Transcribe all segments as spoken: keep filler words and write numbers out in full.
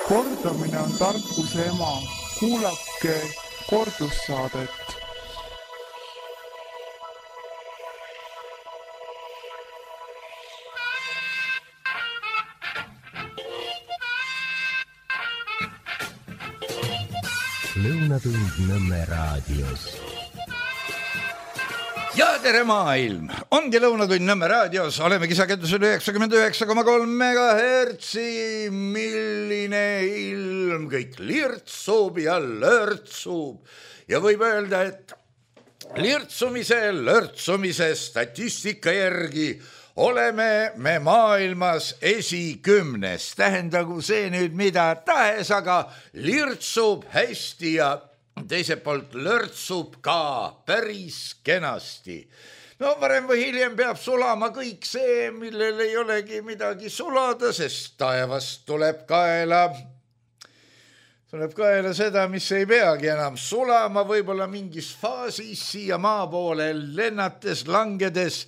Kordamine on tarkuse ema. Kuulake kordussaadet. Lõunatund Nõmme raadios. Ja tere maailm! Ongi Lõunatund Nõmme raadios. Oleme kisakendusel üheksakümmend üheksa koma kolm megahertsi. Milline ilm, kõik lirtsub ja lörtsub. Ja võib öelda, et lirtsumise, lörtsumise statistika järgi oleme me maailmas esikümnes. Tähendagu see nüüd mida tahes, aga lirtsub hästi ja teiselt poolt lörtsub ka päris kenasti. No varem või hiljem peab sulama kõik see, millel ei olegi midagi sulada, sest taevast tuleb kaela. Tuleb kaela seda, mis ei peagi enam sulama, võib-olla mingis faasis siia maa poole lennates, langedes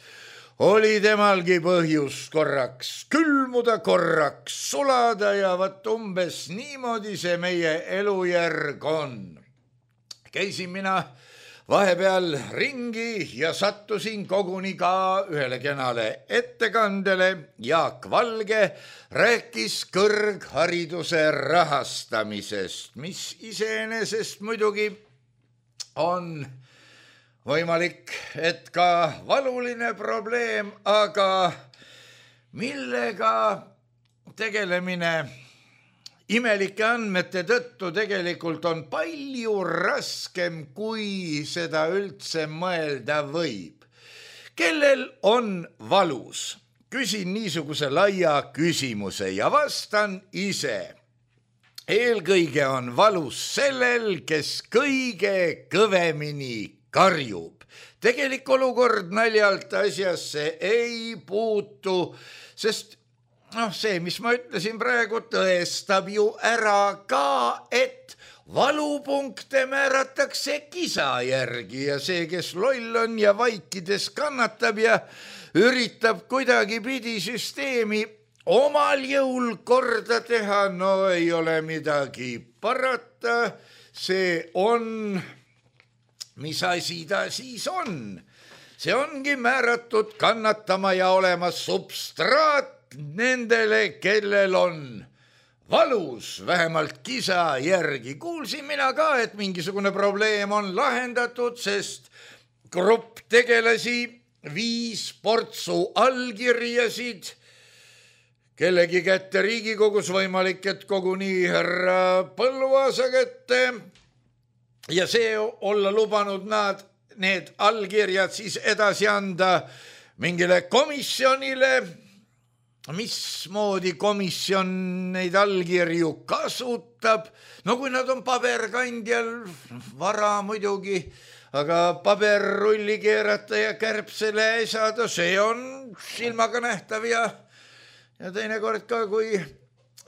oli temalgi põhjus korraks külmuda, korraks sulada ja vat umbes niimoodi see meie elujärg on. Käisin mina vahepeal ringi ja sattusin koguni ka ühele kenale ettekandele. Jaak Valge rääkis kõrghariduse rahastamisest, mis iseenesest muidugi on võimalik, et ka valuline probleem, aga millega tegelemine imelike andmete tõttu tegelikult on palju raskem, kui seda üldse mõelda võib. Kellel on valus? Küsin niisuguse laia küsimuse ja vastan ise. Eelkõige on valus sellel, kes kõige kõvemini karjub. Tegelik olukord naljalt asjasse ei puutu, sest noh, see, mis ma ütlesin praegu, tõestab ju ära ka, et valupunkte määratakse kisa järgi ja see, kes loll on ja vaikides kannatab ja üritab kuidagi pidi süsteemi omal jõul korda teha, no ei ole midagi parata, see on, mis asi ta siis on? See ongi määratud kannatama ja olema substraat nendele, kellel on valus, vähemalt kisa järgi. Kuulsin mina ka, et mingisugune probleem on lahendatud, sest grupp tegelasi viis portsu allkirjasid kellegi kätte Riigikogus, võimalik, et koguni härra Põlluaasa kätte ja see olla lubanud nad need allkirjad siis edasi anda mingile komisjonile. Mismoodi komisjon neid allkirju kasutab? No kui nad on paberkandjal, vara muidugi, aga paberrulli keerata ja kärbsele esada, see on silmaga nähtav ja, ja teinekord ka, kui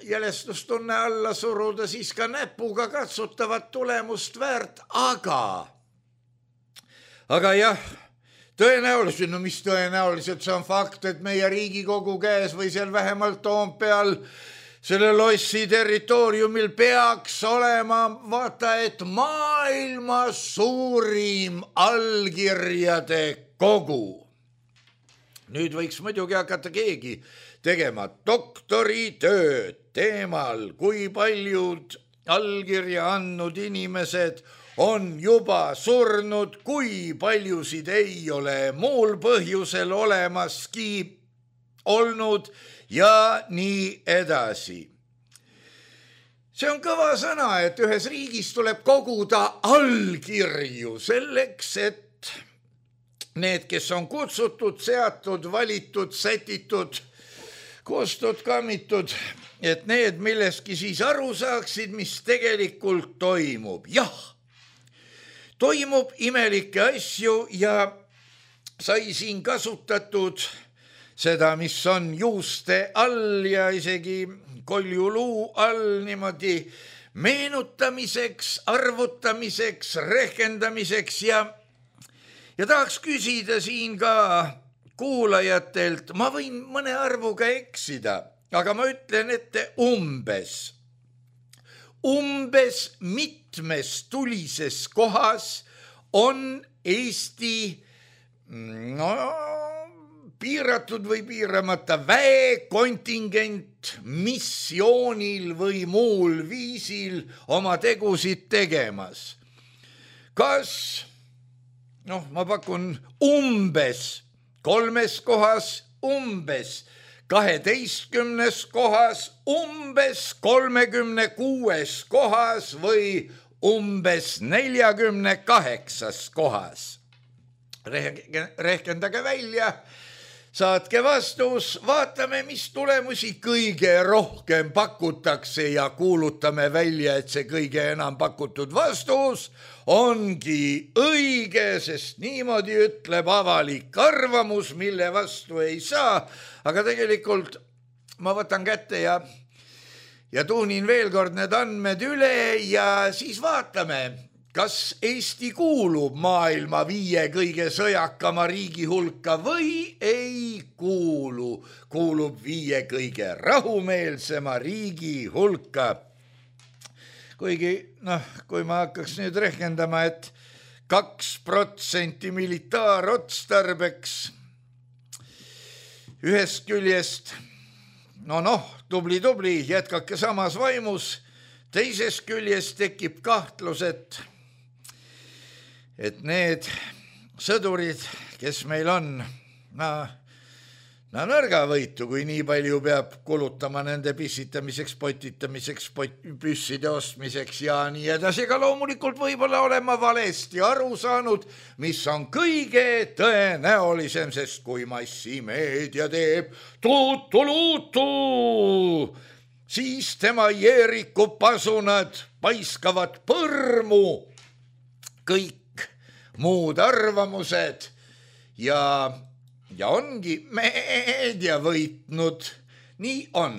jälestustunne alla suruda, siis ka näpuga katsutavat tulemust väärt, aga, aga jah, tõenäoliselt, no mis tõenäoliselt, see on fakt, et meie Riigikogu käes või seal vähemalt Toompeal selle lossi territooriumil peaks olema, vaata, et maailma suurim allkirjade kogu. Nüüd võiks muidugi hakata keegi tegema doktoritööd teemal, kui paljud allkirja andnud inimesed on juba surnud, kui paljusid ei ole muul põhjusel olemaski olnud ja nii edasi. See on kõva sõna, et ühes riigis tuleb koguda allkirju selleks, et need, kes on kutsutud, seatud, valitud, sätitud, koostud, kammitud, et need milleski siis aru saaksid, mis tegelikult toimub. Jah, toimub imelikke asju ja sai siin kasutatud seda, mis on juuste all ja isegi koljuluu all niimoodi meenutamiseks, arvutamiseks, rehkendamiseks ja, ja tahaks küsida siin ka kuulajatelt, ma võin mõne arvuga eksida, aga ma ütlen ette umbes. umbes mitmes tulises kohas on Eesti no, piiratud või piiramata väekontingent missioonil või muul viisil oma tegusid tegemas. Kas, noh, ma pakun umbes kolmes kohas, umbes kaheteistkümnes kohas, umbes kolmekümne kuues kohas või umbes neljakümne kaheksas kohas. Rehkendage välja, saatke vastus, vaatame, mis tulemusi kõige rohkem pakutakse ja kuulutame välja, et see kõige enam pakutud vastus ongi õige, sest niimoodi ütleb avalik arvamus, mille vastu ei saa, aga tegelikult ma võtan kätte ja, ja tuunin veel kord need andmed üle ja siis vaatame, kas Eesti kuulub maailma viie kõige sõjakama riigi hulka või ei kuulu, kuulub viie kõige rahumeelsema riigi hulka. Kuigi, noh, kui ma hakkaks nüüd rehkendama, et kaks protsenti militaarotstarbeks ühest küljest, no noh, tubli-tubli, jätkake samas vaimus, teisest küljest tekib kahtlus, et et need sõdurid, kes meil on, no, no nõrgavõitu, kui nii palju peab kulutama nende pissitamiseks, potitamiseks, püsside ostmiseks ja nii edasi, aga loomulikult võib-olla olema valesti aru saanud, mis on kõige tõenäolisem, sest kui massimeedia teeb tuutuluutu, siis tema Jeeriku pasunad paiskavad põrmu kõik muud arvamused ja, ja ongi meedia võitnud. Nii on.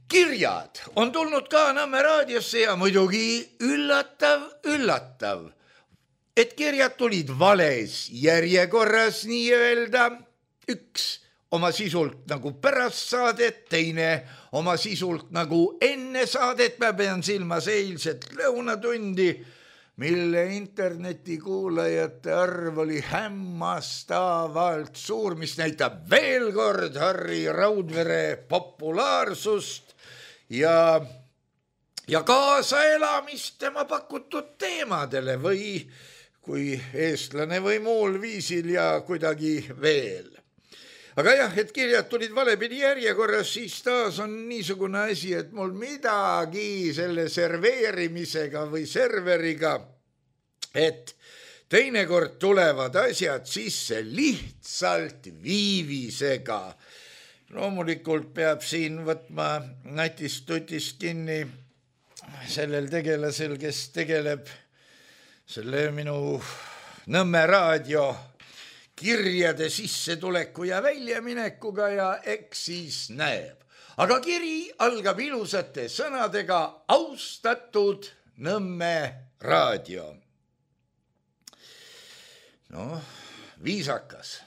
Kirjad on tulnud ka Nõmme raadiosse ja muidugi üllatav, üllatav, et kirjad tulid vales järjekorras nii-öelda, üks oma sisult nagu pärast saadet, teine oma sisult nagu enne saadet, ma pean silmas eilset lõunatundi, mille internetikuulajate arv oli hämmastavalt suur, mis näitab veel kord Harri Raudvere populaarsust ja, ja kaasaelamist tema pakutud teemadele või kui eestlane või muul viisil ja kuidagi veel. Aga jah, et kirjad tulid valepidi järjekorras, siis taas on niisugune asi, et mul midagi selle serveerimisega või serveriga, et teinekord tulevad asjad sisse lihtsalt viivisega. Loomulikult peab siin võtma natist tutist kinni sellel tegelasel, kes tegeleb selle minu Nõmme raadio kirjade sissetuleku ja väljaminekuga ja eks siis näeb. Aga kiri algab ilusate sõnadega austatud Nõmme raadio. No, viisakas,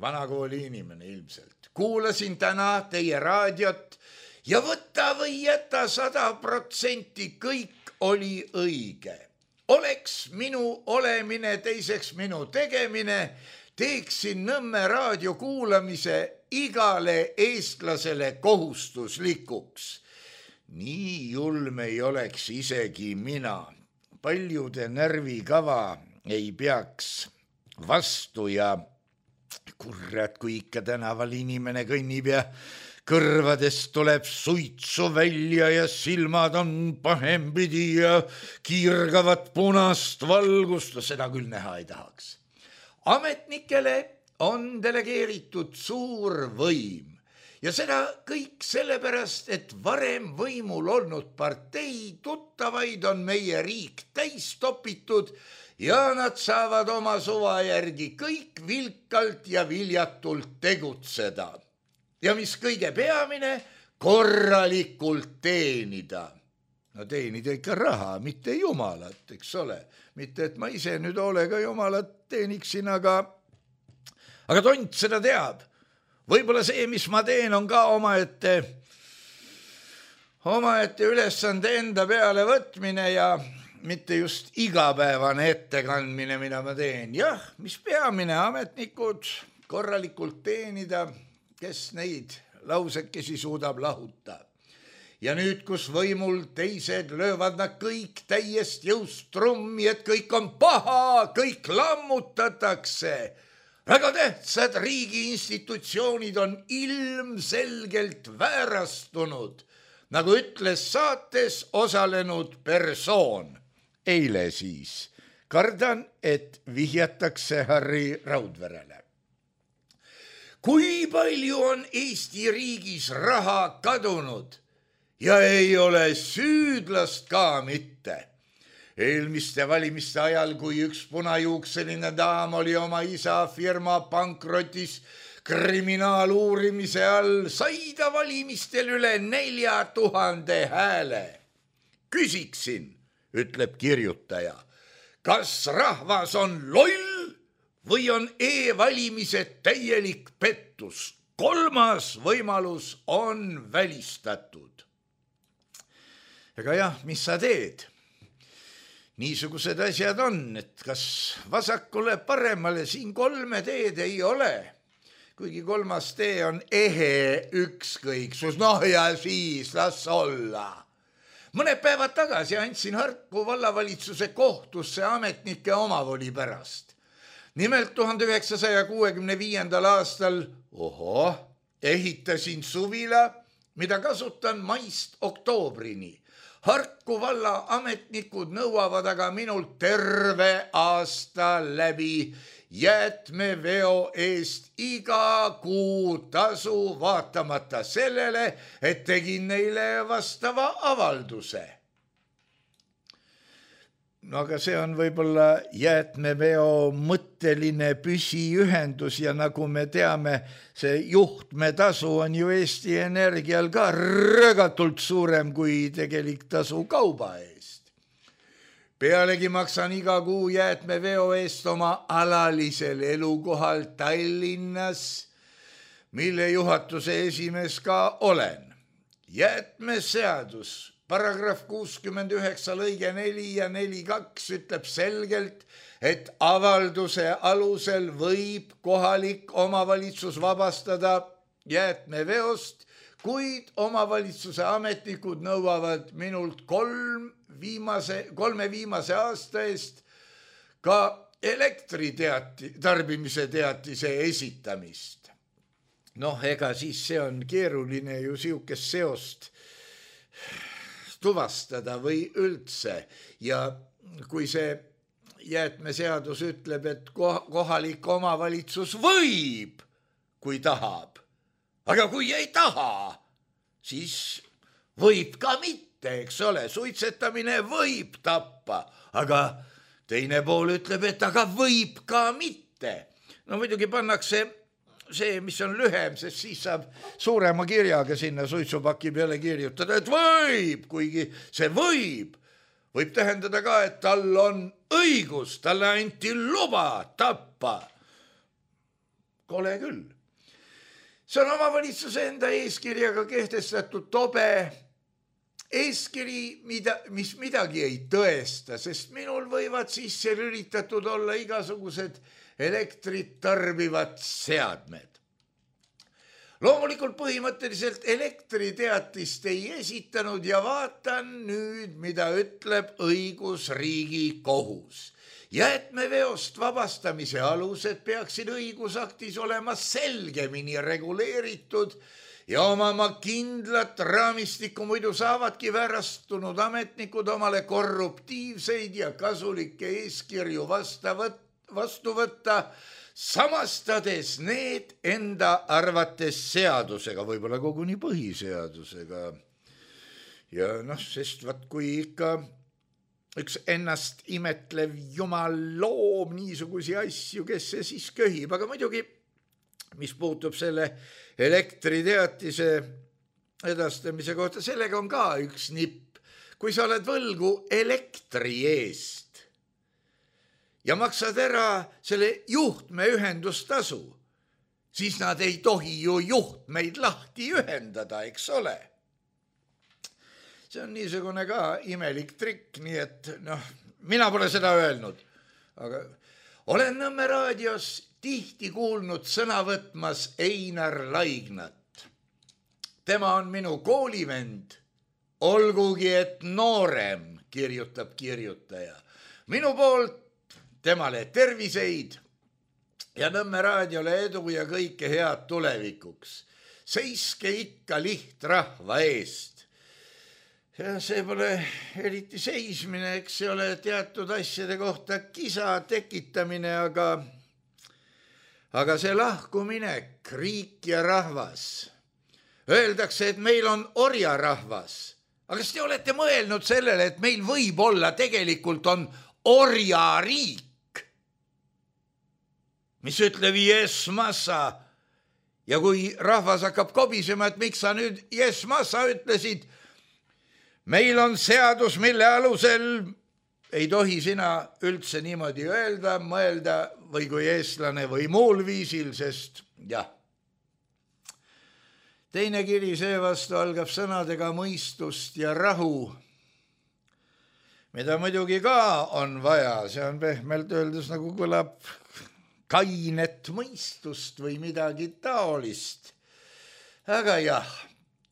vanakooli inimene ilmselt. Kuulasin täna teie raadiot ja võta või jäta sada protsenti kõik oli õige. Oleks minu olemine, teiseks minu tegemine, teeksin Nõmme raadio kuulamise igale eestlasele kohustuslikuks. Nii julm ei oleks isegi mina. Paljude närvikava ei peaks vastu ja kurrat, kui ikka tänaval inimene kõnnib ja kõrvadest tuleb suitsu välja ja silmad on pahempidi ja kiirgavad punast valgust, seda küll näha ei tahaks. Ametnikele on delegeeritud suur võim ja seda kõik sellepärast, et varem võimul olnud partei tuttavaid on meie riik täis topitud ja nad saavad oma suva järgi kõik vilkalt ja viljatult tegutseda. Ja mis kõige peamine, korralikult teenida. No teenida ikka raha, mitte jumalat, eks ole. Mitte, et ma ise nüüd hoolega jumalat teeniksin, aga, aga tont seda teab. Võib-olla see, mis ma teen, on ka omaette, omaette ülesande enda peale võtmine ja mitte just igapäevane ettekandmine, mida ma teen. Jah, mis peamine, ametnikud korralikult teenida, kes neid lausekesi suudab lahuta. Ja nüüd, kus võimul teised löövad nad kõik täiest jõust trummi, et kõik on paha, kõik lammutatakse. Väga tähtsad riigi institutsioonid on ilmselgelt väärastunud, nagu ütles saates osalenud persoon. Eile siis kardan, et vihjatakse Harri Raudverele. Kui palju on Eesti riigis raha kadunud ja ei ole süüdlast ka mitte. Eelmiste valimiste ajal, kui üks punajuukseline daam oli oma isa firma pankrotis kriminaaluurimise all, sai ta valimistel üle nelja tuhande hääle. Küsiksin, ütleb kirjutaja, kas rahvas on loll või on e-valimised täielik pettus? Kolmas võimalus on välistatud. Ega jah, mis sa teed? Niisugused asjad on, et kas vasakule paremale siin kolme teed ei ole. Kuigi kolmas tee on ehe ükskõiksus, noh ja siis las olla. Mõned päevad tagasi andsin Harku vallavalitsuse kohtusse ametnike omavoli pärast. Nimelt tuhande üheksasaja kuuekümne viiendal aastal oho, ehitasin suvila, mida kasutan maist oktoobrini. Harku valla ametnikud nõuavad aga minult terve aasta läbi jäätmeveo eest iga kuu tasu vaatamata sellele, et tegin neile vastava avalduse. No aga see on võib-olla jäätmeveo mõtteline püsiühendus ja nagu me teame, see juhtmetasu on ju Eesti Energial ka röögatult suurem kui tegelik tasu kauba eest. Pealegi maksan iga kuu jäätmeveo eest oma alalisel elukohal Tallinnas, mille juhatuse esimees ka olen. Jäätmeseadus paragrahv kuuskümmend üheksa lõige neli ja neli kaks ütleb selgelt, et avalduse alusel võib kohalik omavalitsus vabastada jäätmeveost, kuid omavalitsuse ametnikud nõuavad minult kolm viimase, kolme viimase aasta eest ka elektriteati, tarbimise teatise esitamist. Noh, ega siis see on keeruline ju siukest seost tuvastada või üldse ja kui see jäätmeseadus ütleb, et kohalik omavalitsus võib, kui tahab, aga kui ei taha, siis võib ka mitte, eks ole, suitsetamine võib tappa, aga teine pool ütleb, et aga võib ka mitte. No muidugi pannakse see, mis on lühem, sest siis saab suurema kirjaga sinna suitsupaki peale kirjutada, et võib, kuigi see võib, võib tähendada ka, et tal on õigus, talle anti luba tappa. Kole küll. See on omavalitsuse enda eeskirjaga kehtestatud tobe eeskiri, mida, mis midagi ei tõesta, sest minul võivad sisse lülitatud olla igasugused elektrit tarbivad seadmed. Loomulikult põhimõtteliselt elektriteatist ei esitanud ja vaatan nüüd, mida ütleb õigusriigi kohus. Jäätmeveost vabastamise alused peaksid õigusaktis olema selgemini reguleeritud ja omama kindlat raamistikku, muidu saavadki väärastunud ametnikud omale korruptiivseid ja kasulikke eeskirju vastu võtta, samastades need enda arvates seadusega, võib-olla koguni põhiseadusega. Ja noh, sest vaat kui ikka üks ennast imetlev jumal loob niisugusi asju, kes see siis köhib, aga muidugi, mis puutub selle elektriteatise edastamise kohta, sellega on ka üks nipp. Kui sa oled võlgu elektri eest ja maksad ära selle juhtmeühendustasu, siis nad ei tohi ju juhtmeid lahti ühendada, eks ole. see on niisugune ka imelik trikk, nii et noh, mina pole seda öelnud, aga olen Nõmme raadios tihti kuulnud sõna võtmas Einar Laignat. Tema on minu koolivend, olgugi et noorem, kirjutab kirjutaja. Minu poolt temale terviseid ja Nõmme raadiole edu ja kõike head tulevikuks. Seiske ikka lihtrahva eest. Ja see pole eriti seismine, eks see ole teatud asjade kohta kisa tekitamine, aga, aga see lahkuminek, riik ja rahvas. Öeldakse, et meil on orjarahvas. Aga kas te olete mõelnud sellele, et meil võib olla tegelikult on orjariik, mis ütleb yes massa. Ja kui rahvas hakkab kobisema, et miks sa nüüd yes massa ütlesid, meil on seadus, mille alusel ei tohi sina üldse niimoodi öelda, mõelda või kui eestlane või muul viisil, sest jah. Teine kiri seevastu algab sõnadega mõistust ja rahu, mida muidugi ka on vaja, see on pehmelt öeldes nagu kõlab kainet mõistust või midagi taolist. Aga jah,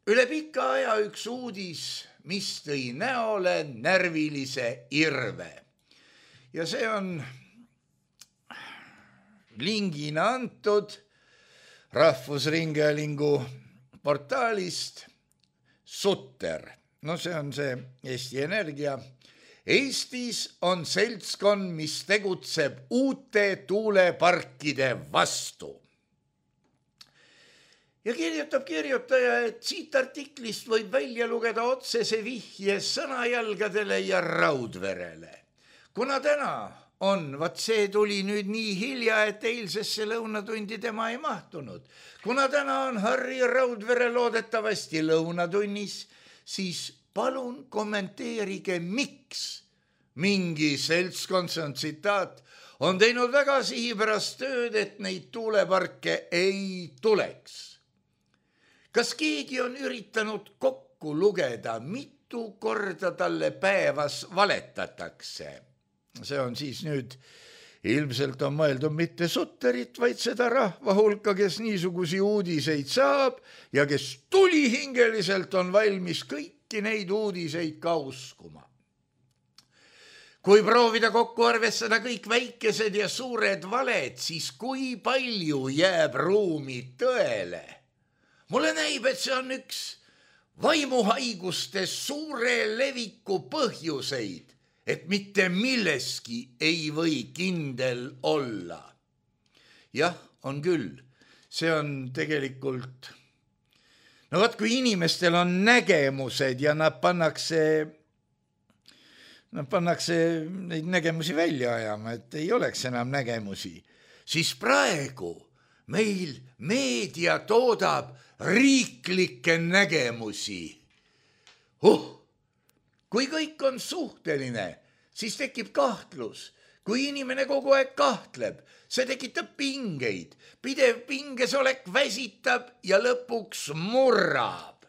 üle pika aja üks uudis, mis tõi näole närvilise irve. Ja see on lingina antud Rahvusringhäälingu portaalist Sutter. No see on see Eesti Energia. Eestis on seltskond, mis tegutseb uute tuuleparkide vastu. Ja kirjutab kirjutaja, et siit artiklist võib välja lugeda otsese vihje sõnajalgadele ja Raudverele. Kuna täna on, vaat see tuli nüüd nii hilja, et eilsesse lõunatundi tema ei mahtunud. Kuna täna on Harri Raudvere loodetavasti lõunatunnis, siis palun kommenteerige, miks mingi seltskond, see on tsitaat, on teinud väga sihipärast tööd, et neid tuuleparke ei tuleks. Kas keegi on üritanud kokku lugeda, mitu korda talle päevas valetatakse? See on siis nüüd, ilmselt on mõeldud mitte Sutterit, vaid seda rahva hulka, kes niisugusi uudiseid saab ja kes tulihingeliselt on valmis kõiki neid uudiseid ka uskuma. Kui proovida kokku arvestada kõik väikesed ja suured valed, siis kui palju jääb ruumi tõele? Mulle näib, et see on üks vaimuhaiguste suure leviku põhjuseid, et mitte milleski ei või kindel olla. Jah, on küll. See on tegelikult... No vaat, kui inimestel on nägemused ja nad pannakse, nad pannakse neid nägemusi välja ajama, et ei oleks enam nägemusi, siis praegu meil meedia toodab riiklikke nägemusi. Huh! Kui kõik on suhteline, siis tekib kahtlus. Kui inimene kogu aeg kahtleb, see tekitab pingeid. Pidev pingesolek väsitab ja lõpuks murrab.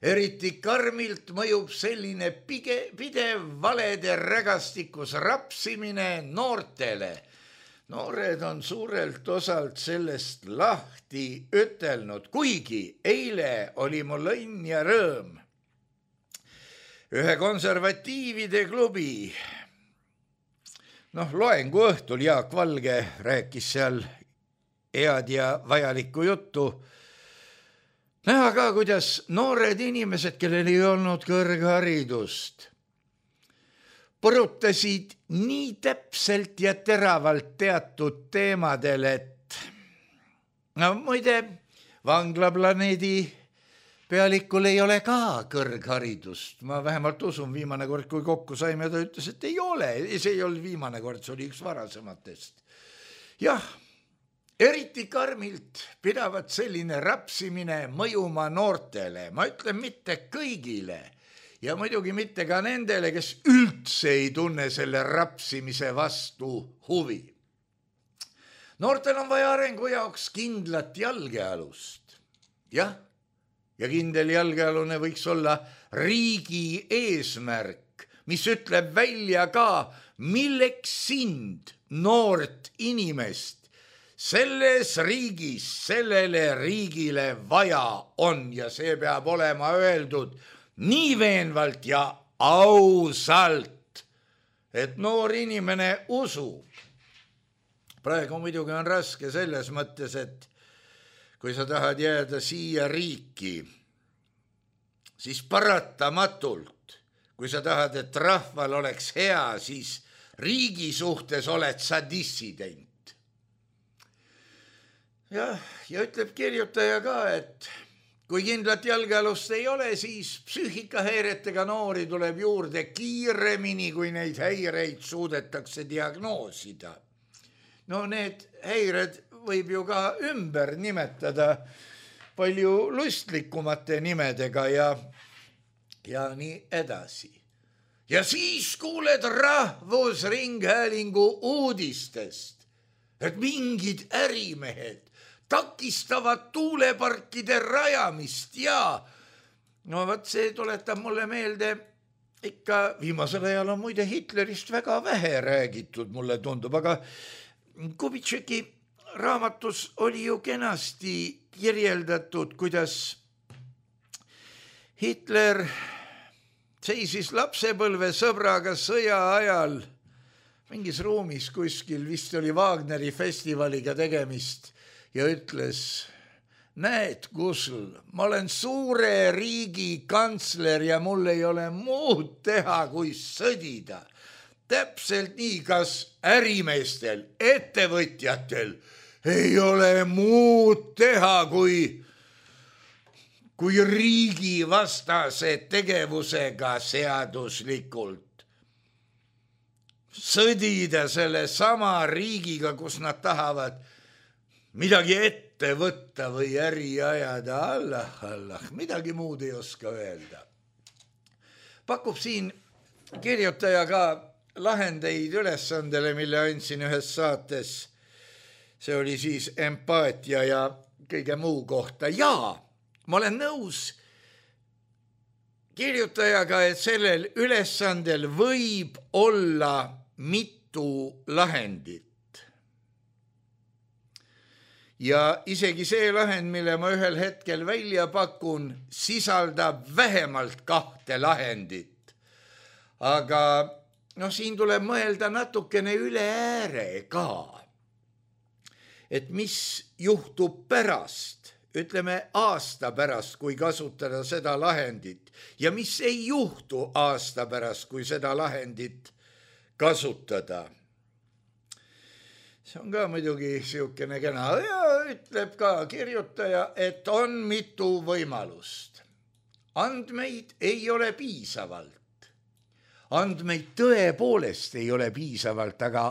Eriti karmilt mõjub selline pige, pidev valede rägastikus rapsimine noortele. Noored on suurelt osalt sellest lahti ütelnud, kuigi eile oli mul õnn ja rõõm. Ühe konservatiivide klubi, noh, loengu õhtul Jaak Valge rääkis seal head ja vajalikku juttu. Näha ka, kuidas noored inimesed, kellel ei olnud kõrgharidust, põrutasid nii täpselt ja teravalt teatud teemadel, et no muide, vanglaplaneedi pealikul ei ole ka kõrgharidust. Ma vähemalt usun, viimane kord, kui kokku saime, ta ütles, et ei ole. See ei olnud viimane kord, see oli üks varasematest. Jah, eriti karmilt pidavat selline rapsimine mõjuma noortele. Ma ütlen mitte kõigile ja muidugi mitte ka nendele, kes üldse ei tunne selle rapsimise vastu huvi. Noortel on vaja arengu jaoks kindlat jalgealust. Jah, ja kindel jalgealune võiks olla riigi eesmärk, mis ütleb välja ka, milleks sind, noort inimest, selles riigis, sellele riigile vaja on ja see peab olema öeldud nii veenvalt ja ausalt, et noor inimene usub. Praegu muidugi on raske selles mõttes, et kui sa tahad jääda siia riiki, siis paratamatult, kui sa tahad, et rahval oleks hea, siis riigi suhtes oled sa dissident. Ja, ja ütleb kirjutaja ka, et kui kindlat jalgealust ei ole, siis psüühikahäiretega noori tuleb juurde kiiremini, kui neid häireid suudetakse diagnoosida. No need häired võib ju ka ümber nimetada palju lustlikumate nimedega ja, ja nii edasi. Ja siis kuuled Rahvusringhäälingu uudistest, et mingid ärimehed takistavad tuuleparkide rajamist ja no võt see tuletab mulle meelde ikka, viimasel ajal on muide Hitlerist väga vähe räägitud, mulle tundub, aga Kubitšeki raamatus oli ju kenasti kirjeldatud, kuidas Hitler seisis lapsepõlve sõbraga sõja ajal mingis ruumis kuskil, vist oli Wagneri festivaliga tegemist ja ütles, näed, Kusl, ma olen suure riigi kantsler ja mul ei ole muud teha, kui sõdida. Täpselt nii, kas ärimeestel, ettevõtjatel ei ole muud teha, kui, kui riigi vastase tegevusega seaduslikult sõdida selle sama riigiga, kus nad tahavad midagi ette võtta või äri ajada. Allah, Allah, midagi muud ei oska öelda. Pakub siin kirjutaja ka lahendeid ülesandele, mille andsin ühes saates. See oli siis empaatia ja kõige muu kohta. Ja ma olen nõus kirjutajaga, et sellel ülesandel võib olla mitu lahendit. Ja isegi see lahend, mille ma ühel hetkel välja pakun, sisaldab vähemalt kahte lahendit. Aga no siin tuleb mõelda natukene üle ääre ka, et mis juhtub pärast, ütleme aasta pärast, kui kasutada seda lahendit ja mis ei juhtu aasta pärast, kui seda lahendit kasutada. See on ka muidugi siukene kena ja ütleb ka kirjutaja, et on mitu võimalust. Andmeid ei ole piisavalt. Andmeid tõepoolest ei ole piisavalt, aga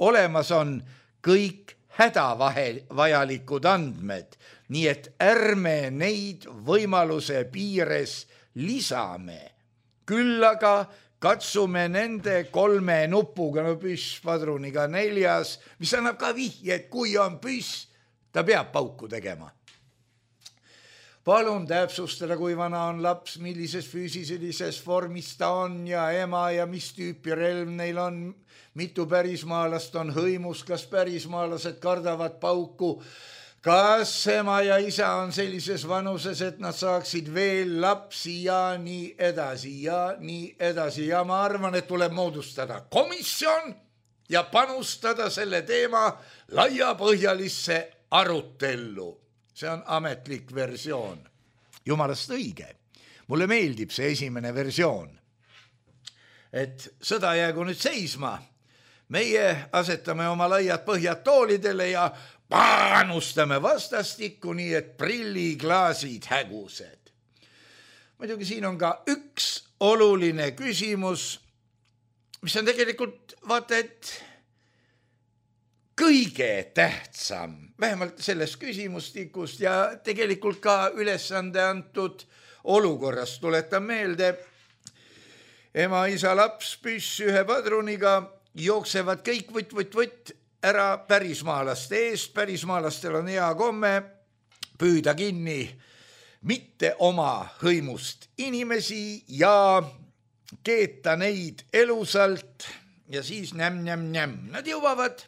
olemas on kõik hädavajalikud andmed, nii et ärme neid võimaluse piires lisame. Küll aga katsume nende kolme nupuga, no püss padruniga neljas, mis annab ka vihje, et kui on püss, ta peab pauku tegema. Palun täpsustada, kui vana on laps, millises füüsilises vormis ta on ja ema ja mis tüüpi relv neil on, mitu pärismaalast on hõimus, kas pärismaalased kardavad pauku, kas ema ja isa on sellises vanuses, et nad saaksid veel lapsi ja nii edasi ja nii edasi. Ja ma arvan, et tuleb moodustada komisjon ja panustada selle teema laiapõhjalisse arutellu. See on ametlik versioon. Jumalast õige. Mulle meeldib see esimene versioon. Et sõda jäägu nüüd seisma. Meie asetame oma laiad põhjad toolidele ja panustame vastastikku nii, et prilliklaasid hägused. Muidugi siin on ka üks oluline küsimus, mis on tegelikult vaata, et kõige tähtsam, vähemalt sellest küsimustikust ja tegelikult ka ülesande antud olukorrast. Tuletan meelde, ema, isa, laps, püss ühe padruniga jooksevad kõik võtt, võtt, võtt ära pärismaalaste eest. Pärismaalastel on hea komme püüda kinni mitte oma hõimust inimesi ja keeta neid elusalt ja siis näm-näm-näm. Nad jõuavad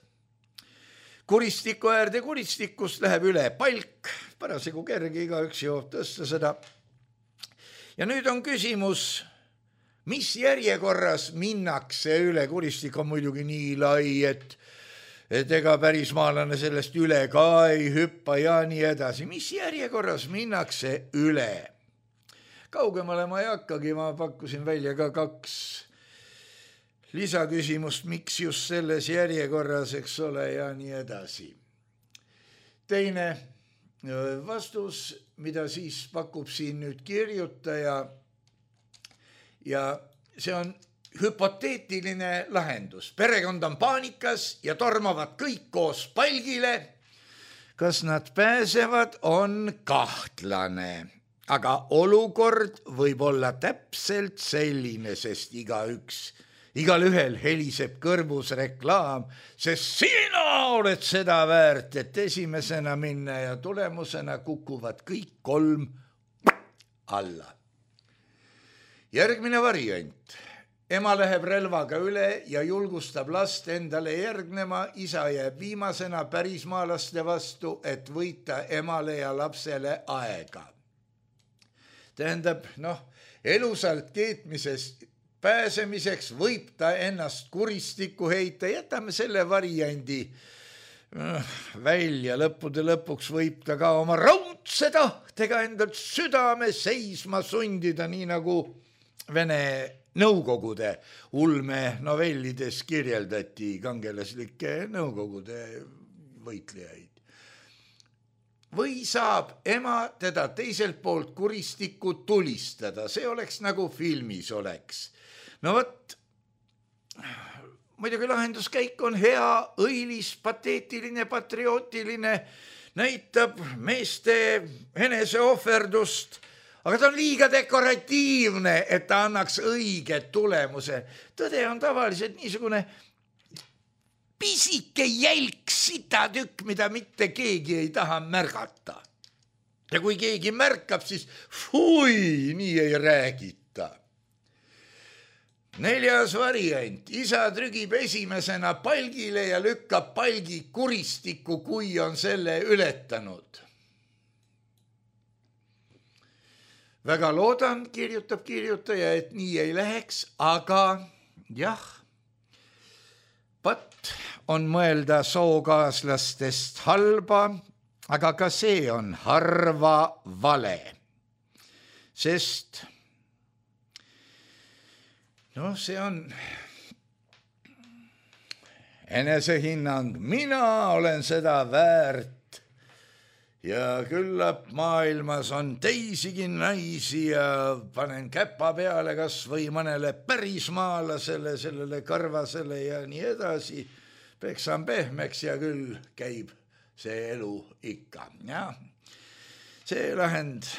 kuristiku äärde, kuristikust läheb üle palk, parasjagu kerge, igaüks jõuab tõsta seda. Ja nüüd on küsimus, mis järjekorras minnakse üle, kuristik on muidugi nii lai, et et ega pärismaalane sellest üle ka ei hüppa ja nii edasi. Mis järjekorras minnakse üle? Kaugemale ma ei hakkagi, ma pakkusin välja ka kaks lisaküsimust, miks just selles järjekorras, eks ole, ja nii edasi. Teine vastus, mida siis pakub siin nüüd kirjutaja, ja see on hüpoteetiline lahendus. Perekond on paanikas ja tormavad kõik koos palgile. Kas nad pääsevad, on kahtlane. Aga olukord võib olla täpselt selline, sest igaüks, igal ühel heliseb kõrvus reklaam, sest sina oled seda väärt, et esimesena minna ja tulemusena kukuvad kõik kolm alla. Järgmine variant. Ema läheb relvaga üle ja julgustab last endale järgnema, isa jääb viimasena pärismaalaste vastu, et võita emale ja lapsele aega. Tähendab, noh, elusalt keetmisest pääsemiseks võib ta ennast kuristikku heita, jätame selle variandi välja, lõppude lõpuks võib ta ka oma raudse tahtega endalt südame seisma sundida, nii nagu Vene nõukogude ulme novellides kirjeldati kangelaslikke nõukogude võitlejaid. Või saab ema teda teiselt poolt kuristikku tulistada, see oleks nagu filmis oleks. No võt, muidugi lahenduskäik on hea, õilis, pateetiline, patriootiline, näitab meeste eneseohverdust, aga ta on liiga dekoratiivne, et ta annaks õige tulemuse. Tõde on tavaliselt niisugune pisike jälk sitatükk, mida mitte keegi ei taha märgata. Ja kui keegi märkab, siis fui, nii ei räägita. Neljas variant. Isa trügib esimesena palgile ja lükkab palgi kuristikku, kui on selle ületanud. Väga loodan, kirjutab kirjutaja, et nii ei läheks, aga jah, pat on mõelda sookaaslastest halba, aga ka see on harva vale, sest noh, see on enesehinnang, mina olen seda väärt. Ja küllap maailmas on teisigi naisi ja panen käpa peale kas või mõnele pärismaalasele, sellele karvasele ja nii edasi. Peksan pehmeks ja küll käib see elu ikka. Ja see lahend,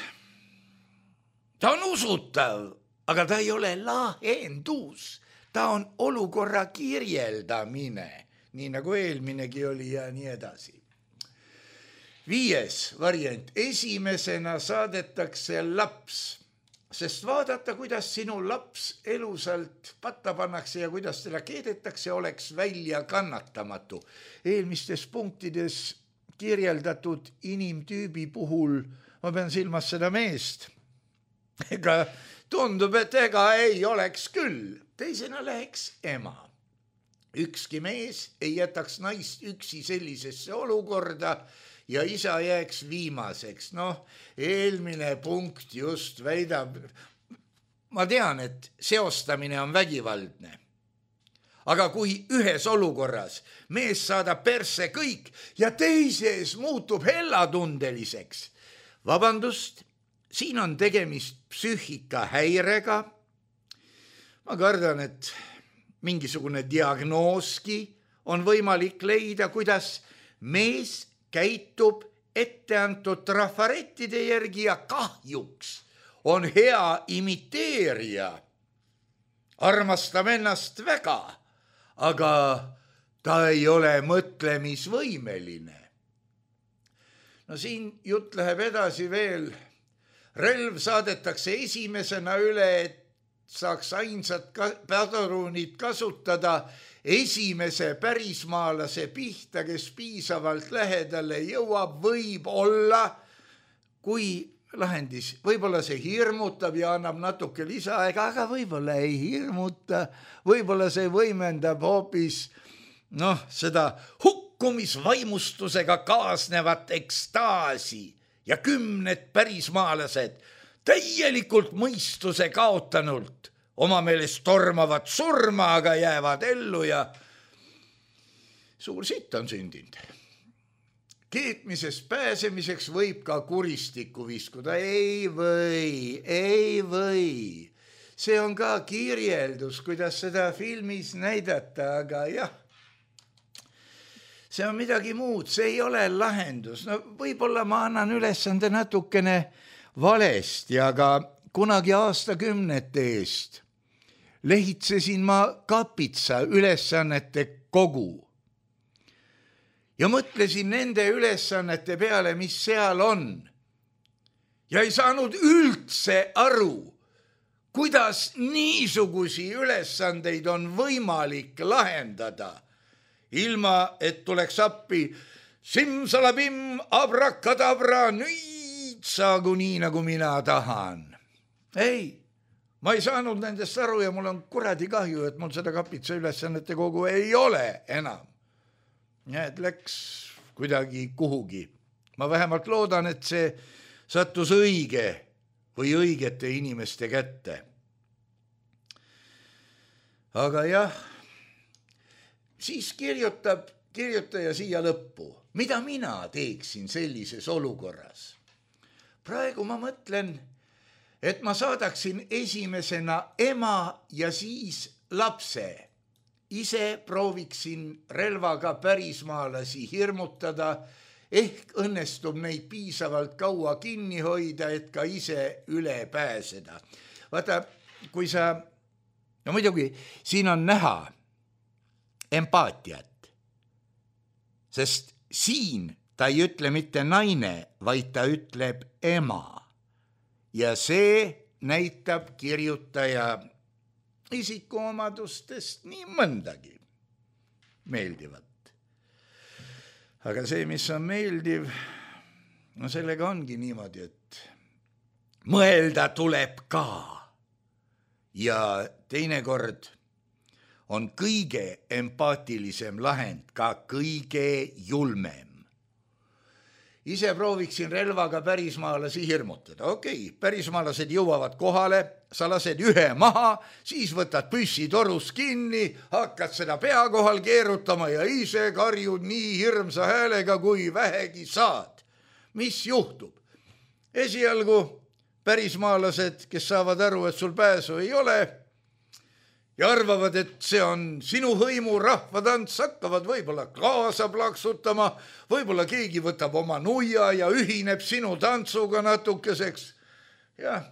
ta on usutav, aga ta ei ole lahendus. Ta on olukorra kirjeldamine, nii nagu eelminegi oli ja nii edasi. Viies variant. Esimesena saadetakse laps, sest vaadata, kuidas sinu laps elusalt patta pannakse ja kuidas teda keedetakse, oleks välja kannatamatu. Eelmistes punktides kirjeldatud inimtüübi puhul, ma pean silmas seda meest, ega tundub, et ega ei oleks küll. Teisena läheks ema. Ükski mees ei jätaks naist üksi sellisesse olukorda, ja isa jääks viimaseks. Noh, eelmine punkt just väidab, ma tean, et seostamine on vägivaldne. Aga kui ühes olukorras mees saadab perse kõik ja teises muutub hellatundeliseks, vabandust, siin on tegemist psüühikahäirega. Ma kardan, et mingisugune diagnooski on võimalik leida, kuidas mees käitub etteantud trafarettide järgi ja kahjuks on hea imiteerija. Armastab ennast väga, aga ta ei ole mõtlemisvõimeline. No siin jutt läheb edasi veel relv saadetakse esimesena üle, et saaks ainsat padrunit kasutada esimese pärismaalase pihta, kes piisavalt lähedale jõuab, võib olla, kui lahendis, võib-olla see hirmutab ja annab natuke lisaaega, aga võib-olla ei hirmuta, võib-olla see võimendab hoopis noh, seda hukkumisvaimustusega kaasnevat ekstaasi ja kümned pärismaalased täielikult mõistuse kaotanult oma meelest tormavad surma, aga jäävad ellu ja suur sitt on sündinud. Keetmisest pääsemiseks võib ka kuristikku viskuda. Ei või, ei või. See on ka kirjeldus, kuidas seda filmis näidata, aga jah, see on midagi muud, see ei ole lahendus. No võib-olla ma annan ülesande natukene valesti, aga kunagi aastakümnete eest lehitsesin ma Kapitsa ülesannete kogu ja mõtlesin nende ülesannete peale, mis seal on. Ja ei saanud üldse aru, kuidas niisugusi ülesandeid on võimalik lahendada, ilma et tuleks appi simsalabim, abrakadabra, nüüd saagu nii, nagu mina tahan. Ei, ma ei saanud nendest aru ja mul on kuradi kahju, et mul seda Kapitsa ülesannete kogu ei ole enam. Ja et läks kuidagi kuhugi. Ma vähemalt loodan, et see sattus õige või õigete inimeste kätte. Aga jah, siis kirjutab kirjutaja siia lõppu. Mida mina teeksin sellises olukorras? Praegu ma mõtlen, et ma saadaksin esimesena ema ja siis lapse. Ise prooviksin relvaga pärismaalasi hirmutada, ehk õnnestub neid piisavalt kaua kinni hoida, et ka ise üle pääseda. Vaata, kui sa, no muidugi, siin on näha empaatiat, sest siin ta ei ütle mitte naine, vaid ta ütleb ema. Ja see näitab kirjutaja isikuomadustest nii mõndagi meeldivat. Aga see, mis on meeldiv, no sellega ongi niimoodi, et mõelda tuleb ka. Ja teinekord on kõige empaatilisem lahend ka kõige julmem. Ise prooviksin relvaga pärismaalasi hirmutada. Okei, pärismaalased jõuavad kohale, sa lased ühe maha, siis võtad püssi torus kinni, hakkad seda pea kohal keerutama ja ise karjud nii hirmsa häälega, kui vähegi saad. Mis juhtub? Esialgu pärismaalased, kes saavad aru, et sul pääsu ei ole ja arvavad, et see on sinu hõimu rahvatants, hakkavad võib-olla kaasa plaksutama, võib-olla keegi võtab oma nuia ja ühineb sinu tantsuga natukeseks. Jah.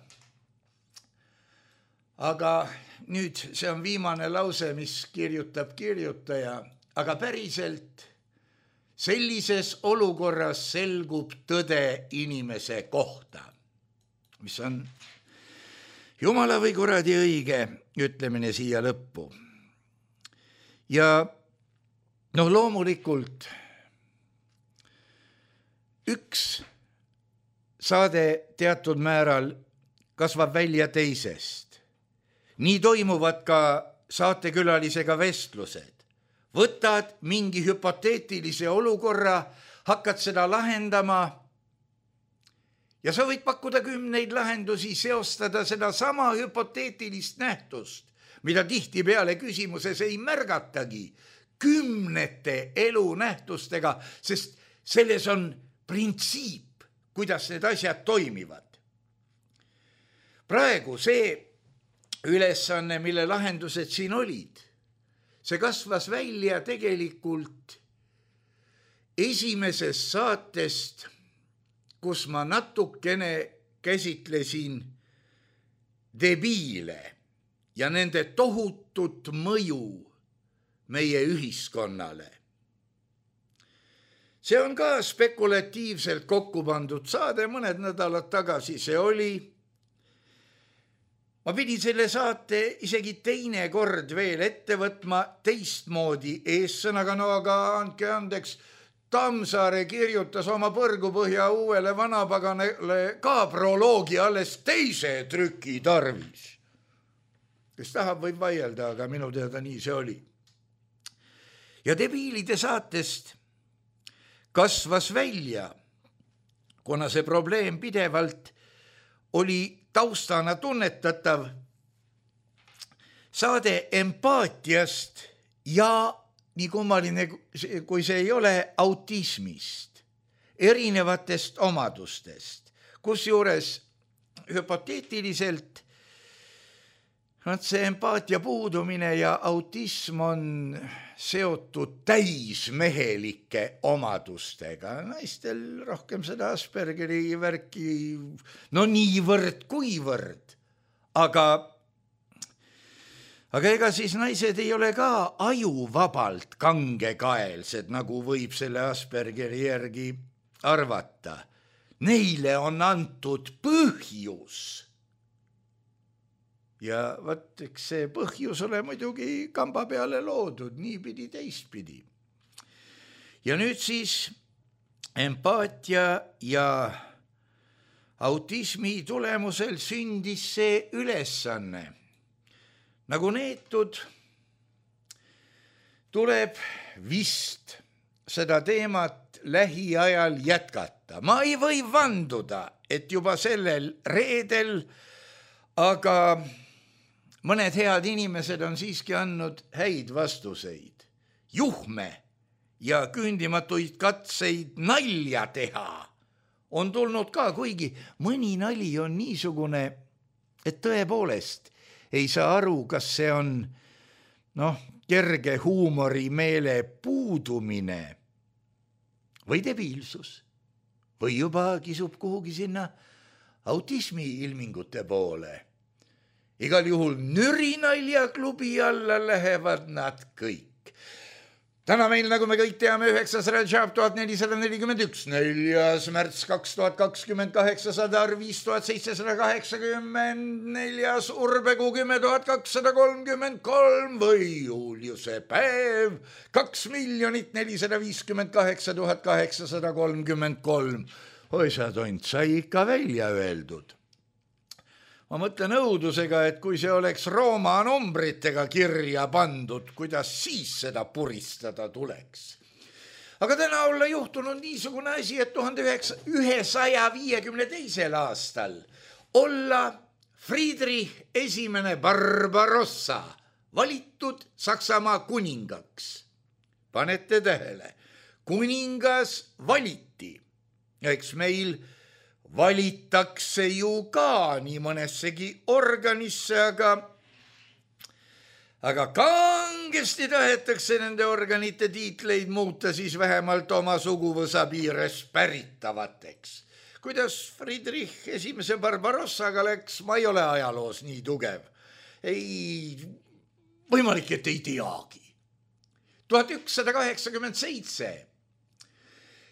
Aga nüüd see on viimane lause, mis kirjutab kirjutaja, aga päriselt sellises olukorras selgub tõde inimese kohta, mis on jumala või kuradi õige ütlemine siia lõppu. Ja noh, loomulikult üks saade teatud määral kasvab välja teisest. Nii toimuvad ka saatekülalisega vestlused. Võtad mingi hüpoteetilise olukorra, hakkad seda lahendama ja sa võid pakkuda kümneid lahendusi, seostada seda sama hüpoteetilist nähtust, mida tihti peale küsimuses ei märgatagi, kümnete elunähtustega, sest selles on printsiip, kuidas need asjad toimivad. Praegu see ülesanne, mille lahendused siin olid, see kasvas välja tegelikult esimesest saatest, kus ma natukene käsitlesin debiile ja nende tohutut mõju meie ühiskonnale. see on ka spekulatiivselt kokku pandud saade, mõned nädalad tagasi see oli. Ma pidin selle saate isegi teine kord veel ette võtma teistmoodi eessõnaga, no aga andke andeks, Tammsaare kirjutas oma Põrgupõhja uuele vanapaganele ka proloogi alles teise trüki tarvis. Kes tahab, võib vaielda, aga minu teada nii see oli. Ja debiilide saatest kasvas välja, kuna see probleem pidevalt oli taustana tunnetatav, saade empaatiast ja nii kummaline, kui see ei ole, autismist, erinevatest omadustest, kusjuures hüpoteetiliselt see empaatia puudumine ja autism on seotud täismehelike omadustega. Naistel rohkem seda Aspergeri värki, no niivõrd kuivõrd, aga Aga ega siis naised ei ole ka ajuvabalt kangekaelsed, nagu võib selle Aspergeri järgi arvata. Neile on antud põhjus. Ja võt, eks see põhjus ole muidugi kamba peale loodud, nii pidi teistpidi. Ja nüüd siis empaatia ja autismi tulemusel sündis see ülesanne. Nagu neetud, tuleb vist seda teemat lähiajal jätkata. Ma ei või vanduda, et juba sellel reedel, aga mõned head inimesed on siiski andnud häid vastuseid. Juhme ja küündimatuid katseid nalja teha on tulnud ka, kuigi mõni nali on niisugune, et tõepoolest ei saa aru, kas see on noh, kerge huumorimeele puudumine või debiilsus või juba kisub kuhugi sinna autismi ilmingute poole. Igal juhul nürinaljaklubi alla lähevad nad kõik. Täna meil, nagu me kõik teame, üheksas Rajab tuhat nelisada nelikümmend üks, neljas märts kaks tuhat kakskümmend kaheksa, sadar viis tuhat seitsesada kaheksakümmend, neljas Urbekuu kümme tuhat kakssada kolmkümmend kolm või Juliuse päev kaks miljonit nelisada viiskümmend kaheksa tuhat kaheksasada kolmkümmend kolm. Oi sa tont, sai ikka välja öeldud. Ma mõtlen õudusega, et kui see oleks Rooma numbritega kirja pandud, kuidas siis seda puristada tuleks. Aga täna olla juhtunud niisugune asi, et tuhande ühesaja viiekümne teisel aastal olla Friedrich esimene Barbarossa valitud Saksamaa kuningaks. Panete tähele, kuningas valiti. Eks meil valitakse ju ka nii mõnessegi organisse, aga, aga kangesti tahetakse nende organite tiitleid muuta siis vähemalt oma suguvõsa piires päritavateks. Kuidas Friedrich esimese Barbarossaga läks, ma ei ole ajaloos nii tugev. Ei, võimalik, et ei teagi. tuhat ükssada kaheksakümmend seitse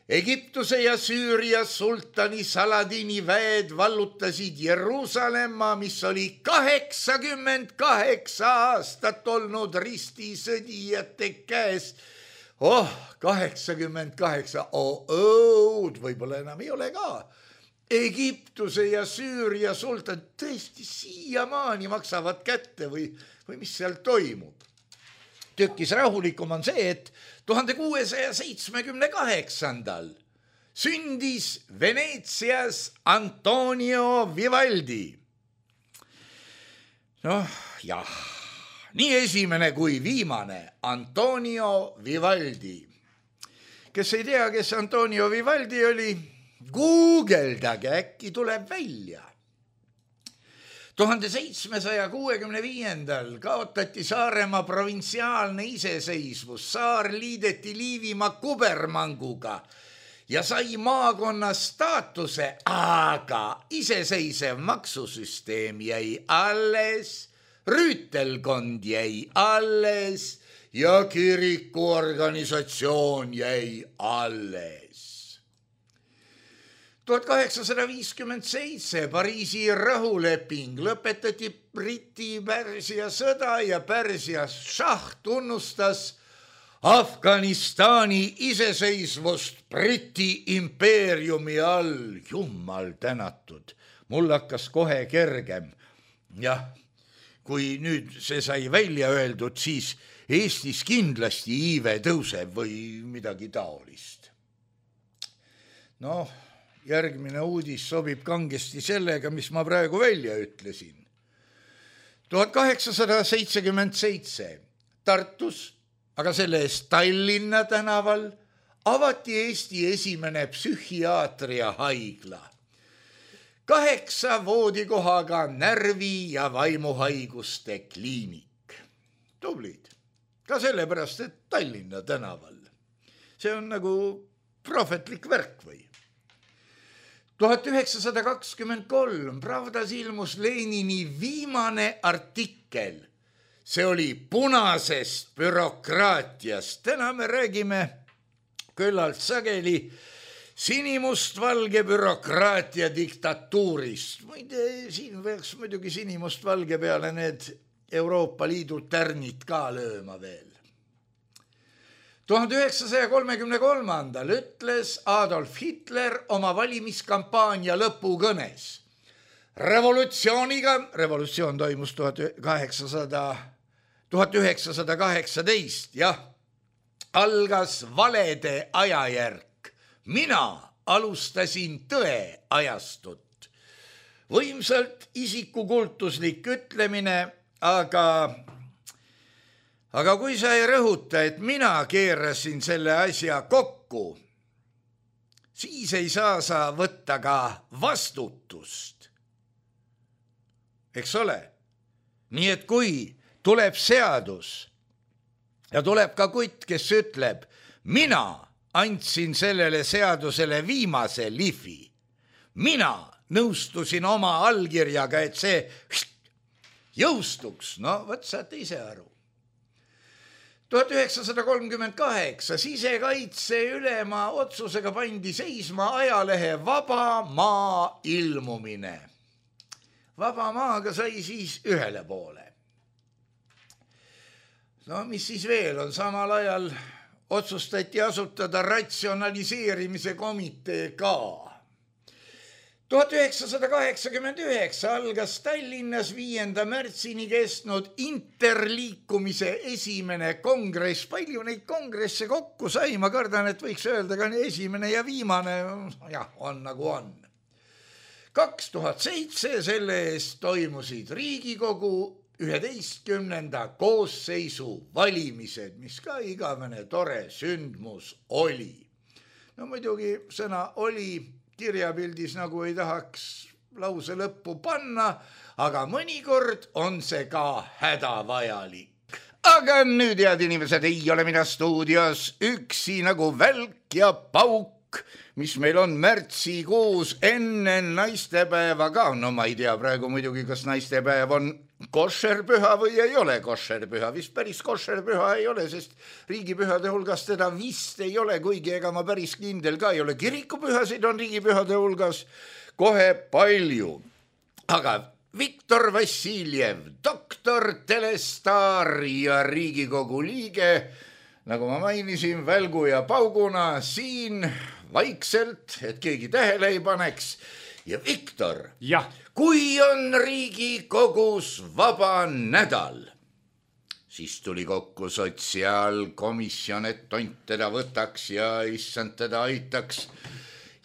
Egiptuse ja Süüria sultani Saladini väed vallutasid Jeruusalemma, mis oli kaheksakümmend kaheksa aastat olnud ristisõdijate käes. Oh, kaheksakümmend kaheksa, oh, õud, võib-olla enam ei ole ka. Egiptuse ja Süüria sultan tõesti siiamaani maksavad kätte või, või mis seal toimub. Tükkis rahulikum on see, et tuhande kuuesaja seitsmekümne kaheksandal sündis Veneetsias Antonio Vivaldi. Noh, jah, nii esimene kui viimane Antonio Vivaldi. Kes ei tea, kes Antonio Vivaldi oli, guugeldage, äkki tuleb välja. tuhande seitsmesaja kuuekümne viiendal kaotati Saaremaa provintsiaalne iseseisvus, saar liideti Liivimaa kubermanguga ja sai maakonna staatuse, aga iseseisev maksusüsteem jäi alles, rüütelkond jäi alles ja kirikuorganisatsioon jäi alles. tuhat kaheksasada viiskümmend seitse Pariisi rahuleping, lõpetati Briti-Pärsia sõda ja Pärsia šah tunnustas Afganistani iseseisvust Briti impeeriumi all. Jumal tänatud, mul hakkas kohe kergem. Jah, kui nüüd see sai välja öeldud, siis Eestis kindlasti iive tõuseb või midagi taolist. Noh, järgmine uudis sobib kangesti sellega, mis ma praegu välja ütlesin. tuhat kaheksasada seitsekümmend seitse Tartus, aga selle eest Tallinna tänaval avati Eesti esimene psühhiaatria haigla. Kaheksa voodikohaga närvi- ja vaimuhaiguste kliinik. Tublid. Ka sellepärast, et Tallinna tänaval. See on nagu prohvetlik värk või? tuhat üheksasada kakskümmend kolm Pravdas ilmus Lenini viimane artikkel. See oli punasest bürokraatiast. Täna me räägime küllalt sageli sinimustvalge bürokraatia diktatuurist. Muide, siin võiks muidugi sinimustvalge peale need Euroopa Liidu tärnid ka lööma veel. tuhande üheksasaja kolmekümne kolmandal ütles Adolf Hitler oma valimiskampaania lõpukõnes. Revolutsiooniga, revolutsioon toimus tuhat üheksasada kaheksateist, jah, algas valede ajajärk. Mina alustasin tõe ajastut. Võimsalt isikukultuslik ütlemine, aga, aga kui sa ei rõhuta, et mina keerasin selle asja kokku, siis ei saa sa võtta ka vastutust. Eks ole? Nii et kui tuleb seadus ja tuleb ka kutt, kes ütleb, mina andsin sellele seadusele viimase lihvi. Mina nõustusin oma allkirjaga, et see jõustuks. No, võt saate ise aru. tuhat üheksasada kolmkümmend kaheksa sisekaitse ülema otsusega pandi seisma ajalehe Vaba Maa ilmumine. Vaba Maaga sai siis ühele poole. No mis siis veel on? Samal ajal otsustati asutada ratsionaliseerimise komitee ka. tuhat üheksasada kaheksakümmend üheksa algas Tallinnas viienda märtsini kestnud interliikumise esimene kongress. Palju neid kongresse kokku sai, ma kardan, et võiks öelda ka esimene ja viimane. Jah, on nagu on. kaks tuhat seitse selle eest toimusid Riigikogu üheteistkümnenda koosseisu valimised, mis ka igavene tore sündmus oli. No muidugi sõna oli kirjapildis nagu ei tahaks lause lõppu panna, aga mõnikord on see ka hädavajalik. Aga nüüd, head inimesed, ei ole mina stuudios üksi nagu välk ja pauk, mis meil on märtsikuus enne naistepäeva ka. No ma ei tea praegu muidugi, kas naistepäev on koššerpüha või ei ole koššerpüha. Vist päris koššerpüha ei ole, sest riigipühade hulgas teda vist ei ole, kuigi ega ma päris kindel ka ei ole. Kirikupühasid on riigipühade hulgas kohe palju. Aga Viktor Vassiljev, doktor, telestaar ja Riigikogu liige, nagu ma mainisin, välgu ja pauguna siin vaikselt, et keegi tähele ei paneks. Ja Viktor, ja. Kui on Riigikogus vaba nädal, siis tuli kokku sotsiaalkomisjon, et tont teda võtaks ja issand teda aitaks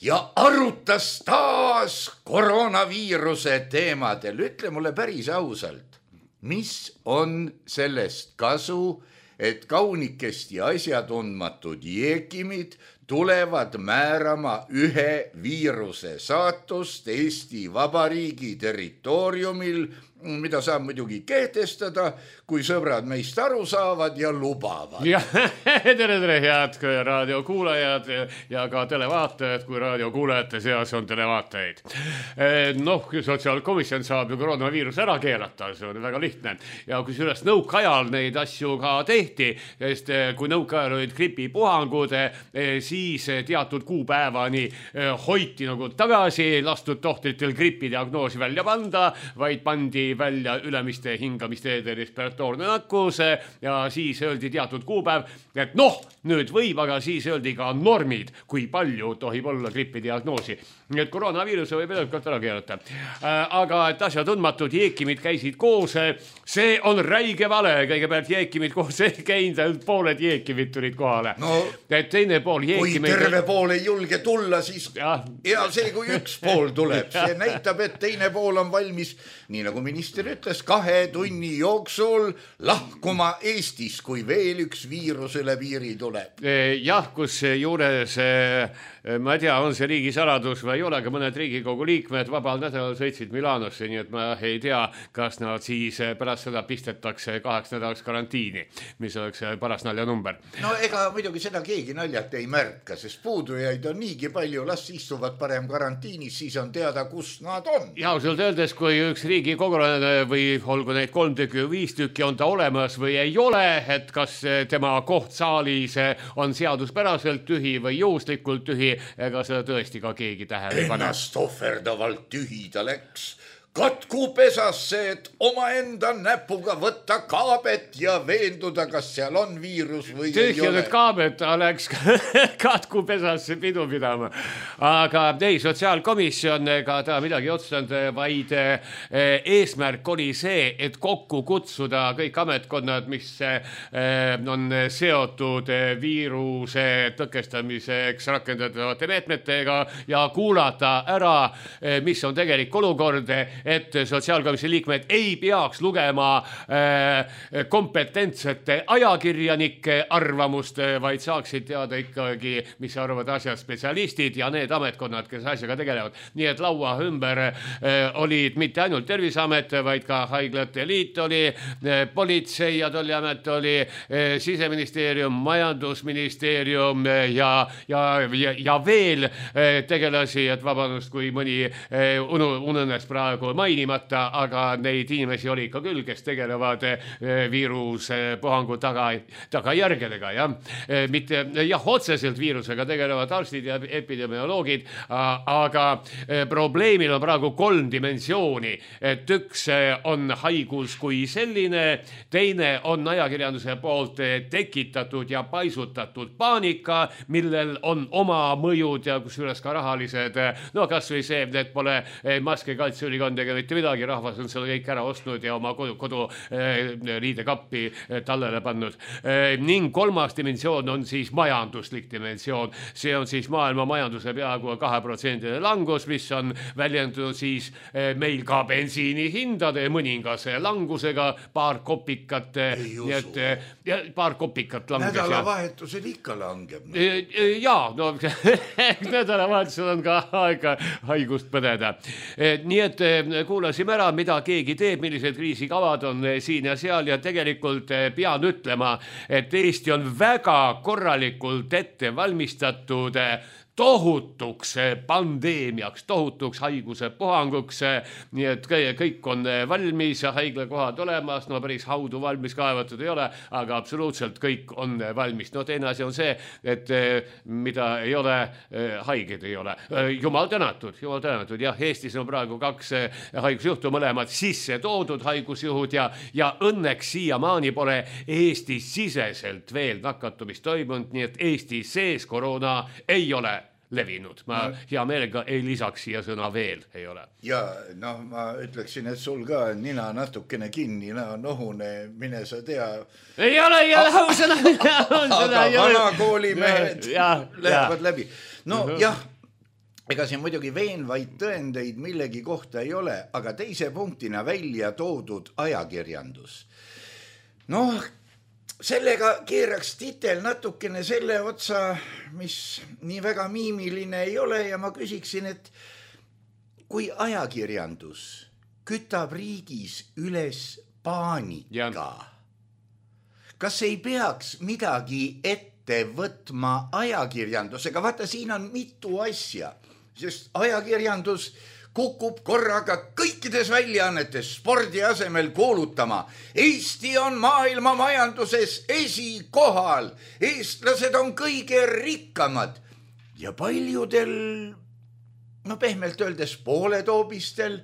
ja arutas taas koroonaviiruse teemadel. Ütle mulle päris ausalt, mis on sellest kasu, et kaunikesti asjatundmatud jeekimid tulevad määrama ühe viiruse saatust Eesti Vabariigi territooriumil, mida saab muidugi kehtestada, kui sõbrad meist aru saavad ja lubavad. Ja, tere, tere, head raadiokuulajad ja ka televaatajad, kui raadiokuulajate seas on televaatajaid. Noh, sotsiaalkomisjon saab ju koroonaviirus ära keelata, see on väga lihtne. Ja kui sellest nõukaajal neid asju ka tehti, sest kui nõukaajal olid gripipuhangud, siis siis teatud kuupäevani hoiti nagu tagasi, lastud tohtritel gripidiagnoosi välja panda, vaid pandi välja ülemiste hingamisteede respiratoorne nakkus ja siis öeldi teatud kuupäev, et noh, nüüd võib, aga siis öeldi ka normid, kui palju tohib olla gripidiagnoosi. Nii et koroonaviiruse võib edukalt ära keerata. Aga et asja tundmatud jeekimid käisid koos, see on räige vale. Kõigepealt jeekimid koos ei käinud, pooled jeekimid tulid kohale. No, et teine pool jeekimid... Kui terve pool ei julge tulla, siis ja, ja see, kui üks pool tuleb, see näitab, et teine pool on valmis, nii nagu minister ütles, kahe tunni jooksul lahkuma Eestis, kui veel üks viirus üle piiri tuleb. Jah, kus juures... Ma ei tea, on see riigisaladus või ei ole, aga mõned Riigikogu liikmed vabal nädalal sõitsid Milanosse, nii et ma ei tea, kas nad siis pärast seda pistetakse kaheks nädalaks karantiini, mis oleks paras naljanumber. No ega muidugi seda keegi naljalt ei märka, sest puudujaid on niigi palju, las istuvad parem karantiinis, siis on teada, kus nad on. Ja ausalt öeldes, kui üks riigikogulane või olgu neid kolm tükki või viis tükki on ta olemas või ei ole, et kas tema koht saalis on seaduspäraselt tühi või juhuslikult tühi, ega seda tõesti ka keegi tähele pane. Ennast ohverdavalt tühi ta läks katku pesasse, et omaenda näpuga võtta kaabet ja veenduda, kas seal on viirus või ei ole. Tühjanud kaabet, ta läks katku pesasse pidu pidama. Aga ei, sotsiaalkomisjon ega ta midagi otsustanud, vaid eesmärk oli see, et kokku kutsuda kõik ametkonnad, mis on seotud viiruse tõkestamiseks rakendatavate meetmetega ja kuulata ära, mis on tegelik olukord, et sotsiaalkomisjoni liikmed ei peaks lugema äh, kompetentsete ajakirjanike arvamust, vaid saaksid teada ikkagi, mis arvavad asjad spetsialistid ja need ametkonnad, kes asjaga tegelevad. Nii et laua ümber äh, olid mitte ainult Terviseamet, vaid ka Haiglate Liit oli, äh, Politsei- ja Tolliamet oli, äh, Siseministeerium, Majandusministeerium äh, ja, ja, ja, ja veel äh, tegelasi, et vabandust, kui mõni äh, ununes praegu mainimata, aga neid inimesi oli ikka küll, kes tegelevad viiruse puhangu taga, tagajärgedega, jah. Mitte, jah, otseselt viirusega tegelevad arstid ja epidemioloogid, aga probleemil on praegu kolm dimensiooni, et üks on haigus kui selline, teine on ajakirjanduse poolt tekitatud ja paisutatud paanika, millel on oma mõjud ja kusjuures ka rahalised, no kas või see, et pole maske kaitseülikond ega mitte midagi, rahvas on selle kõik ära ostnud ja oma kodu, kodu eh, riidekappi eh, tallele pannud. Eh, ning kolmas dimensioon on siis majanduslik dimensioon. See on siis maailma majanduse peaaegu kahe protsendine langus, mis on väljendunud siis eh, meil ka bensiini hindade mõningase langusega, paar kopikat, nii et ja, paar kopikat langes. Nädalavahetusel ikka langeb. No. Eh, jaa, no nädalavahetusel on ka aega haigust põdeda. Eh, nii et kuulasime ära, mida keegi teeb, millised kriisikavad on siin ja seal ja tegelikult pean ütlema, et Eesti on väga korralikult ette valmistatud tohutuks pandeemiaks, tohutuks haiguse puhanguks, nii et kõik on valmis ja haiglakohad olemas, no päris haudu valmis kaevatud ei ole, aga absoluutselt kõik on valmis. No teine asi on see, et mida ei ole, haiged ei ole. Jumal tänatud, jumal tänatud, jah, Eestis on praegu kaks haigusjuhtu, mõlemad sisse toodud haigusjuhud ja, ja õnneks siiamaani pole Eestis siseselt veel nakatumist toimunud, nii et Eesti sees koroona ei ole levinud. Ma no. hea meelega ei lisaks siia sõna veel ei ole. Ja noh, ma ütleksin, et sul ka nina natukene kinni, nina nohune, mine sa tea. Ei ole, ei ole, on seda, on seda. Aga vanakooli mehed lähevad läbi. No uh-huh. jah, ega siin muidugi veenvaid tõendeid millegi kohta ei ole, aga teise punktina välja toodud ajakirjandus. Noh, sellega keeraks titel natukene selle otsa, mis nii väga miimiline ei ole ja ma küsiksin, et kui ajakirjandus kütab riigis üles paanika, ja. kas ei peaks midagi ette võtma ajakirjandusega? Vaata, siin on mitu asja, sest ajakirjandus kukub korraga kõikides väljaannetes spordi asemel kuulutama. Eesti on maailma majanduses esikohal. Eestlased on kõige rikkamad. ja paljudel, no pehmelt öeldes pooletoobistel,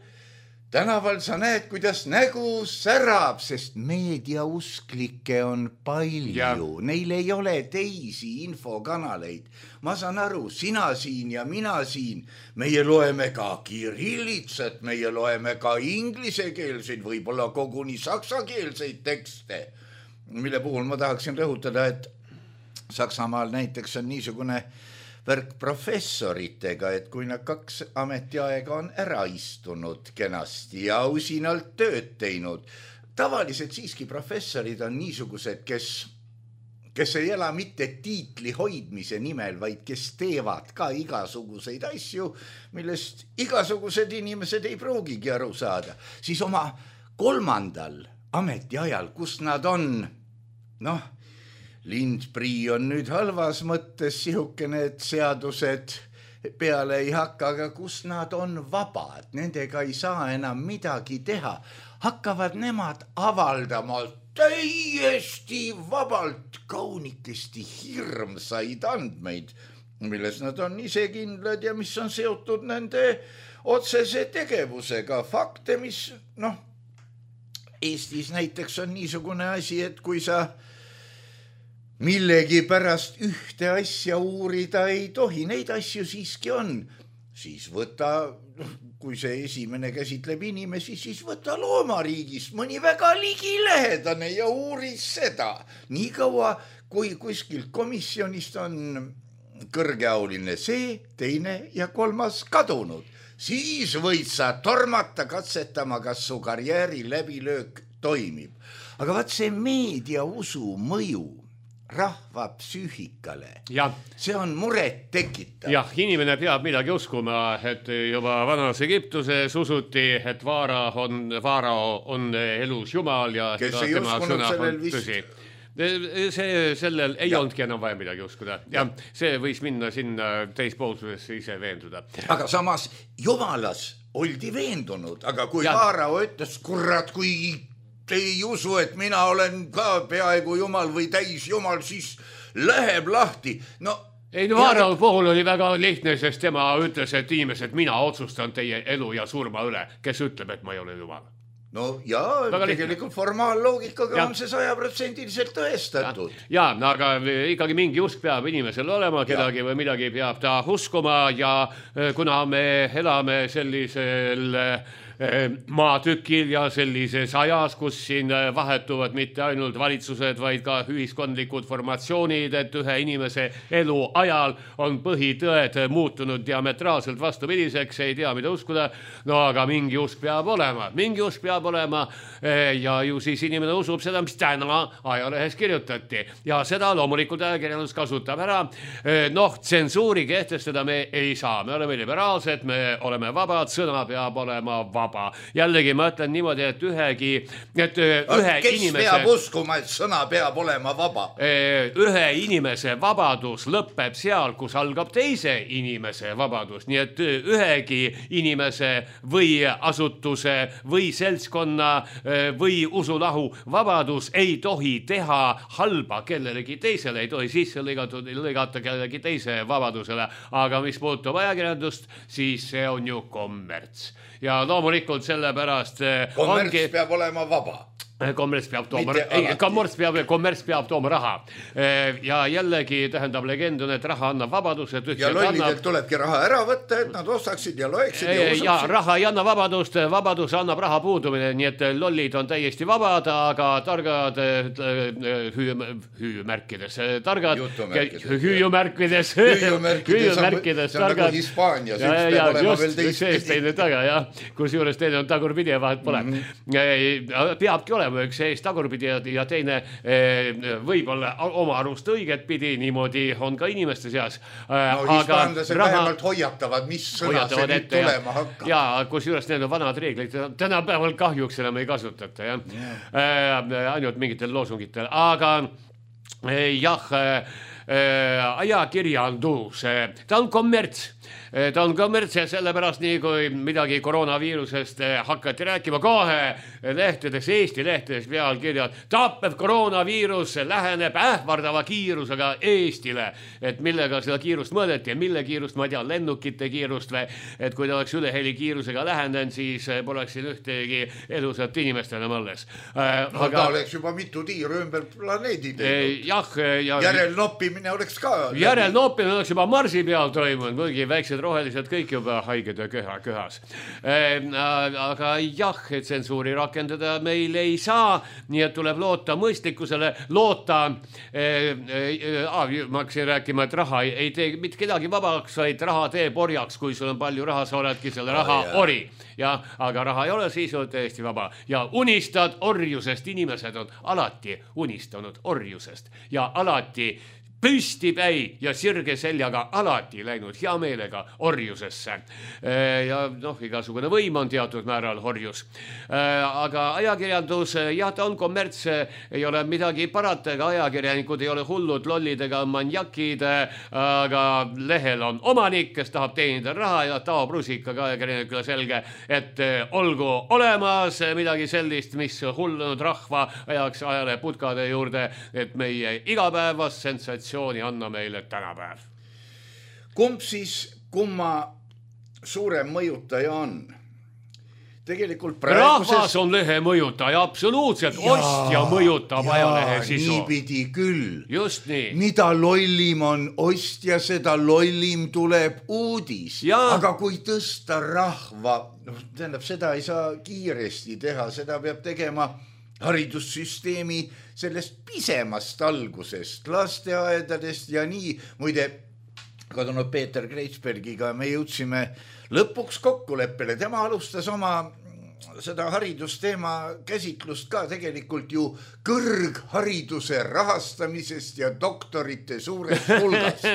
tänaval sa näed, kuidas nägu särab, sest meediausklikke on palju. Ja. Neil ei ole teisi infokanaleid. Ma saan aru, sina siin ja mina siin. Meie loeme ka kirillitsat, meie loeme ka inglisekeelseid, võib-olla koguni saksakeelseid tekste, mille puhul ma tahaksin rõhutada, et Saksamaal näiteks on niisugune värk professoritega, et kui nad kaks ametiaega on ära istunud kenasti ja usinalt tööd teinud. Tavaliselt siiski professorid on niisugused, kes, kes ei ela mitte tiitli hoidmise nimel, vaid kes teevad ka igasuguseid asju, millest igasugused inimesed ei pruugigi aru saada. Siis oma kolmandal ametiajal, kus nad on, noh, Lindprii on nüüd halvas mõttes sihukene, et seadused peale ei hakka, aga kus nad on vabad, nendega ei saa enam midagi teha. Hakkavad nemad avaldama täiesti vabalt kaunikesti hirmsaid andmeid, milles nad on ise kindlad ja mis on seotud nende otsese tegevusega. Fakte, mis, noh, Eestis näiteks on niisugune asi, et kui sa millegi pärast ühte asja uurida ei tohi, neid asju siiski on, siis võta, kui see esimene käsitleb inimesi, siis võta loomariigist mõni väga ligilähedane ja uuri seda. Nii kaua, kui kuskilt komisjonist on kõrgeauline see, teine ja kolmas kadunud, siis võid sa tormata katsetama, kas su karjääri läbilöök toimib. Aga vaat see meediausu mõju rahva psüühikale. Ja. See on muret tekitav. Jah, inimene peab midagi uskuma, et juba vanas Egiptuses usuti, et Vaara on, Vaara on elus jumal ja kes ei uskunud sellel vist. See, sellel ei ja. Olnudki enam vaja midagi uskuda. Ja, ja see võis minna sinna teispoolsusesse ise veenduda. Aga samas jumalas oldi veendunud, aga kui ja. Vaara ütles, kurat, kui te ei usu, et mina olen ka peaaegu jumal või täis jumal, siis läheb lahti. No, ei, no Vaara ja... puhul oli väga lihtne, sest tema ütles, et inimesed, mina otsustan teie elu ja surma üle, kes ütleb, et ma ei ole jumal. No ja väga tegelikult lihtne. Formaalloogikaga ja. On see sajaprotsendiliselt tõestatud. Ja, ja, aga ikkagi mingi usk peab inimesel olema, kedagi ja. Või midagi peab ta uskuma ja kuna me elame sellisel maatükil ja sellises ajas, kus siin vahetuvad mitte ainult valitsused, vaid ka ühiskondlikud formatsioonid, et ühe inimese elu ajal on põhitõed muutunud diametraalselt vastupidiseks, ei tea, mida uskuda, no aga mingi usk peab olema, mingi usk peab olema ja ju siis inimene usub seda, mis täna ajalehes kirjutati ja seda loomulikult ajakirjandus kasutab ära. Noh, tsensuuri kehtestada me ei saa, me oleme liberaalsed, me oleme vabad, sõna peab olema vaba. Jällegi ma ütlen niimoodi, et ühegi et ühe kes inimese peab uskuma, et sõna peab olema vaba? Ühe inimese vabadus lõpeb seal, kus algab teise inimese vabadus. Nii et ühegi inimese või asutuse või seltskonna või usulahu vabadus ei tohi teha halba kellelegi teisele, ei tohi sisse lõigata kellelegi teise vabadusele. Aga mis puutub ajakirjandust, siis see on ju kommerts. Ja loomulikult sellepärast kommerts ongi... peab olema vaba. Kommerts peab tooma, ei, kommerts peab, kommerts peab tooma raha. Ja jällegi tähendab legend on, et raha annab vabadust. Ja lollidelt annab... tulebki raha ära võtta, et nad ostaksid ja loeksid ja usaksid. Ja raha ei anna vabadust, vabadus annab raha puudumine, nii et lollid on täiesti vabad, aga targad hüüumärkides, targad hüüumärkides, hüüumärkides, targad. Hispaanias, üks peab olema veel teist taga, jah, kus juures teine on tagurpidi ja vahet pole. Peabki olema üks eest tagurpidi ja teine võib-olla oma arust õiget pidi, niimoodi on ka inimeste seas. No hispaanlased vähemalt hoiatavad, mis sõna see nüüd tulema hakkab. Ja kus juures need on vanad reeglid, tänapäeval kahjuks enam ei kasutata, jah. Ainult mingitel loosungitel, aga jah, ajakirjandus, ta on kommerts. Ta on kommerts ja sellepärast nii, kui midagi koroonaviirusest hakati rääkima kohe lehtedes, Eesti lehtedes pealkirjad, tappev koroonaviirus läheneb ähvardava kiirusega Eestile, et millega seda kiirust mõõdeti ja mille kiirust, ma ei tea, lennukite kiirust või, et kui ta oleks üleheli kiirusega lähenenud, siis poleks siin ühtegi elusat inimest enam alles. No aga... ta oleks juba mitu tiiru ümber planeedi teinud. Jah, ja... Järelnoppimine oleks ka... Järelnoppimine oleks juba Marsi peal toimunud, mõgi väiksed rohelised kõik juba haiged ja köha köhas. Aga jah, tsensuuri rakendada meil ei saa, nii et tuleb loota mõistlikkusele, loota, ma hakkasin rääkima, et raha ei tee mitte kedagi vabaks, vaid raha teeb orjaks, kui sul on palju raha, sa oledki selle raha ori. Ja, aga raha ei ole, siis on täiesti vaba. Ja unistad orjusest, inimesed on alati unistanud orjusest ja alati püstipäi ja sirge seljaga alati läinud hea meelega orjusesse. Ja noh, igasugune võim on teatud määral orjus. Aga ajakirjandus, jah, ta on kommerts, ei ole midagi parata, ega ajakirjanikud ei ole hullud, lollid ega manjakid, aga lehel on omanik, kes tahab teenida raha ja taob rusikaga ajakirjanikule selge, et olgu olemas midagi sellist, mis hullunud rahva ajaks ajale putkade juurde, et meie igapäevas sensatsioon anna meile tänapäev. Kumb siis kumma suurem mõjutaja on? Tegelikult praeguses... Rahvas on lehe mõjutaja, absoluutselt. Ja, ostja mõjutab ja, ajalehe sisu. Niipidi küll. Just nii. Mida lollim on ostja, seda lollim tuleb uudis. Ja. Aga kui tõsta rahva, no, tähendab, seda ei saa kiiresti teha, seda peab tegema haridussüsteemi sellest pisemast algusest, lasteaedadest ja nii. Muide, kadunud Peeter Kreitsbergiga me jõudsime lõpuks kokkuleppele. Tema alustas oma seda haridusteema käsitlust ka tegelikult ju kõrghariduse rahastamisest ja doktorite suurest hulgast.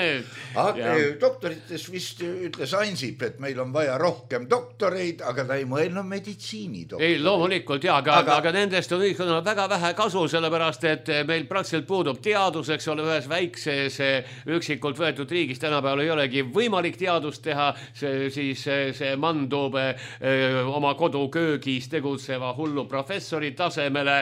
Aga doktorites vist ütles Ansip, et meil on vaja rohkem doktoreid, aga ta ei mõelnud meditsiini doktoreid. Ei, loomulikult jah, aga, aga... aga nendest on ühiskonnal väga vähe kasu, sellepärast, et meil praktiliselt puudub teaduseks ole ühes väikses üksikult võetud riigis. Tänapäeval ei olegi võimalik teadust teha, see, siis see mandub öö, oma koduköögis tegutseva hullu professori tasemele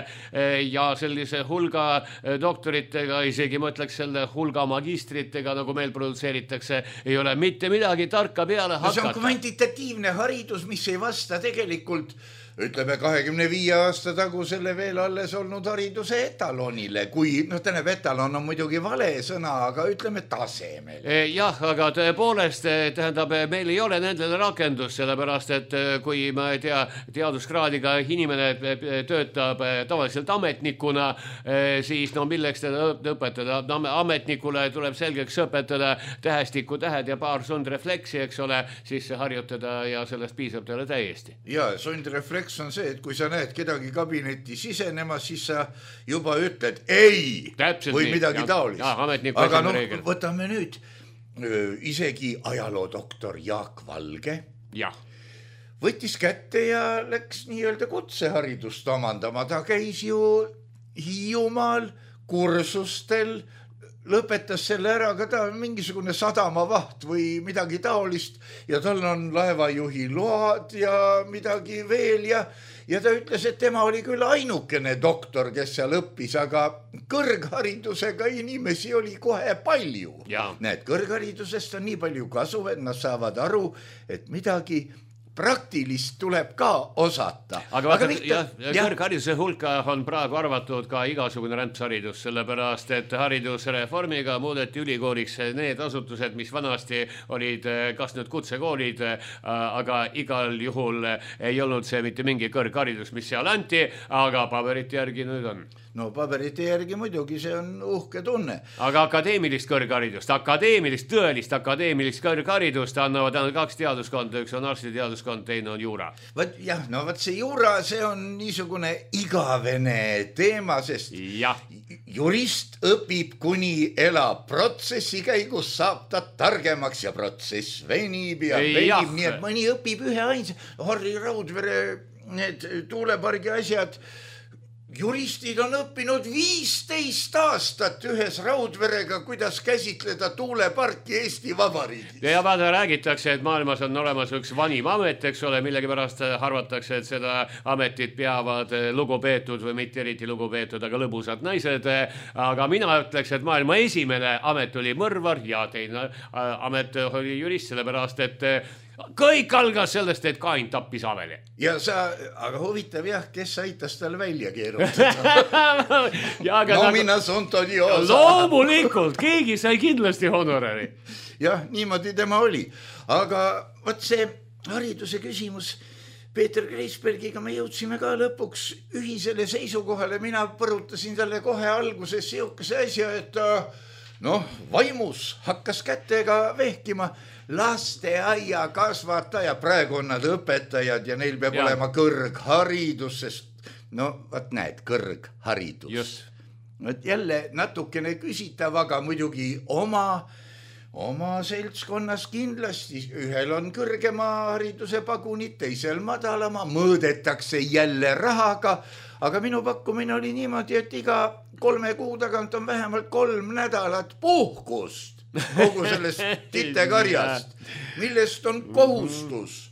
ja sellise hulga doktoritega, isegi mõtleks selle hulga magistritega, nagu meil produtseeritakse, ei ole mitte midagi tarka peale hakata. See on kvantitatiivne haridus, mis ei vasta tegelikult, ütleme, kahekümne viie aasta tagusele veel alles olnud hariduse etalonile, kui, noh, tähendab, etalon on muidugi vale sõna, aga ütleme tasemel. Jah, aga tõepoolest, tähendab, meil ei ole nendele rakendus, sellepärast, et kui ma ei tea, teaduskraadiga inimene töötab tavaliselt ametnikuna, siis no milleks teda õpetada? No, ametnikule tuleb selgeks õpetada tähestiku tähed ja paar sundrefleksi, eks ole, siis harjutada ja sellest piisab teile täiesti. Ja, sundrefleks on see, et kui sa näed kedagi kabinetti sisenema, siis sa juba ütled ei Täpselt või nii. midagi ja, taolist. Ja, aga noh, võtame nüüd isegi ajaloodoktor Jaak Valge. Ja. Võttis kätte ja läks nii-öelda kutseharidust omandama. Ta käis ju Hiiumaal kursustel, lõpetas selle ära, ka ta on mingisugune sadamavaht või midagi taolist ja tal on laevajuhi load ja midagi veel ja, ja ta ütles, et tema oli küll ainukene doktor, kes seal õppis, aga kõrgharidusega inimesi oli kohe palju. Ja. Näed, kõrgharidusest on nii palju kasu, et nad saavad aru, et midagi praktilist tuleb ka osata. Aga, aga vaata, ja, ja kõrghariduse hulka on praegu arvatud ka igasugune rämpsharidus, sellepärast, et haridusreformiga muudeti ülikooliks need asutused, mis vanasti olid kas nüüd kutsekoolid, aga igal juhul ei olnud see mitte mingi kõrgharidus, mis seal anti, aga paberite järgi nüüd on. No paberite järgi muidugi, see on uhke tunne. Aga akadeemilist kõrgharidust, akadeemilist, tõelist akadeemilist kõrgharidust annavad ainult kaks teaduskonda, üks on arstiteaduskond, teine on juura. Võt, jah, no võt see juura, see on niisugune igavene teema, sest ja. Jurist õpib kuni elab. Protsessi käigus saab ta targemaks ja protsess venib ja venib, nii et mõni õpib ühe ainsa. Harri Raudvere, need tuulepargi asjad, juristid on õppinud viisteist aastat ühes Raudverega, kuidas käsitleda tuuleparki Eesti Vabariigis. Ja vaata, räägitakse, et maailmas on olemas üks vanim amet, eks ole, millegi pärast arvatakse, et seda ametit peavad lugupeetud või mitte eriti lugupeetud, aga lõbusad naised. Aga mina ütleks, et maailma esimene amet oli mõrvar ja teine amet oli jurist, sellepärast, et kõik algas sellest, et Kain tappis Aveli. Ja sa, aga huvitav jah, kes aitas tal välja keerutada? Nomina sunt odiosa. Loomulikult, keegi sai kindlasti honorari. Jah, niimoodi tema oli. Aga võt see hariduse küsimus, Peeter Kreisbergiga me jõudsime ka lõpuks ühisele seisukohale. Mina põrutasin talle kohe alguses siukese asja, et noh, vaimus hakkas kätega vehkima. Lasteaia kasvataja, praegu on nad õpetajad ja neil peab ja. olema kõrgharidus, sest no, vaat näed, kõrgharidus. Just. Et jälle natukene küsitav, aga muidugi oma, oma seltskonnas kindlasti. Ühel on kõrgema hariduse pagunid, teisel madalama, mõõdetakse jälle rahaga, aga minu pakkumine oli niimoodi, et iga kolme kuu tagant on vähemalt kolm nädalat puhkust. Kogu sellest titekarjast, millest on kohustus.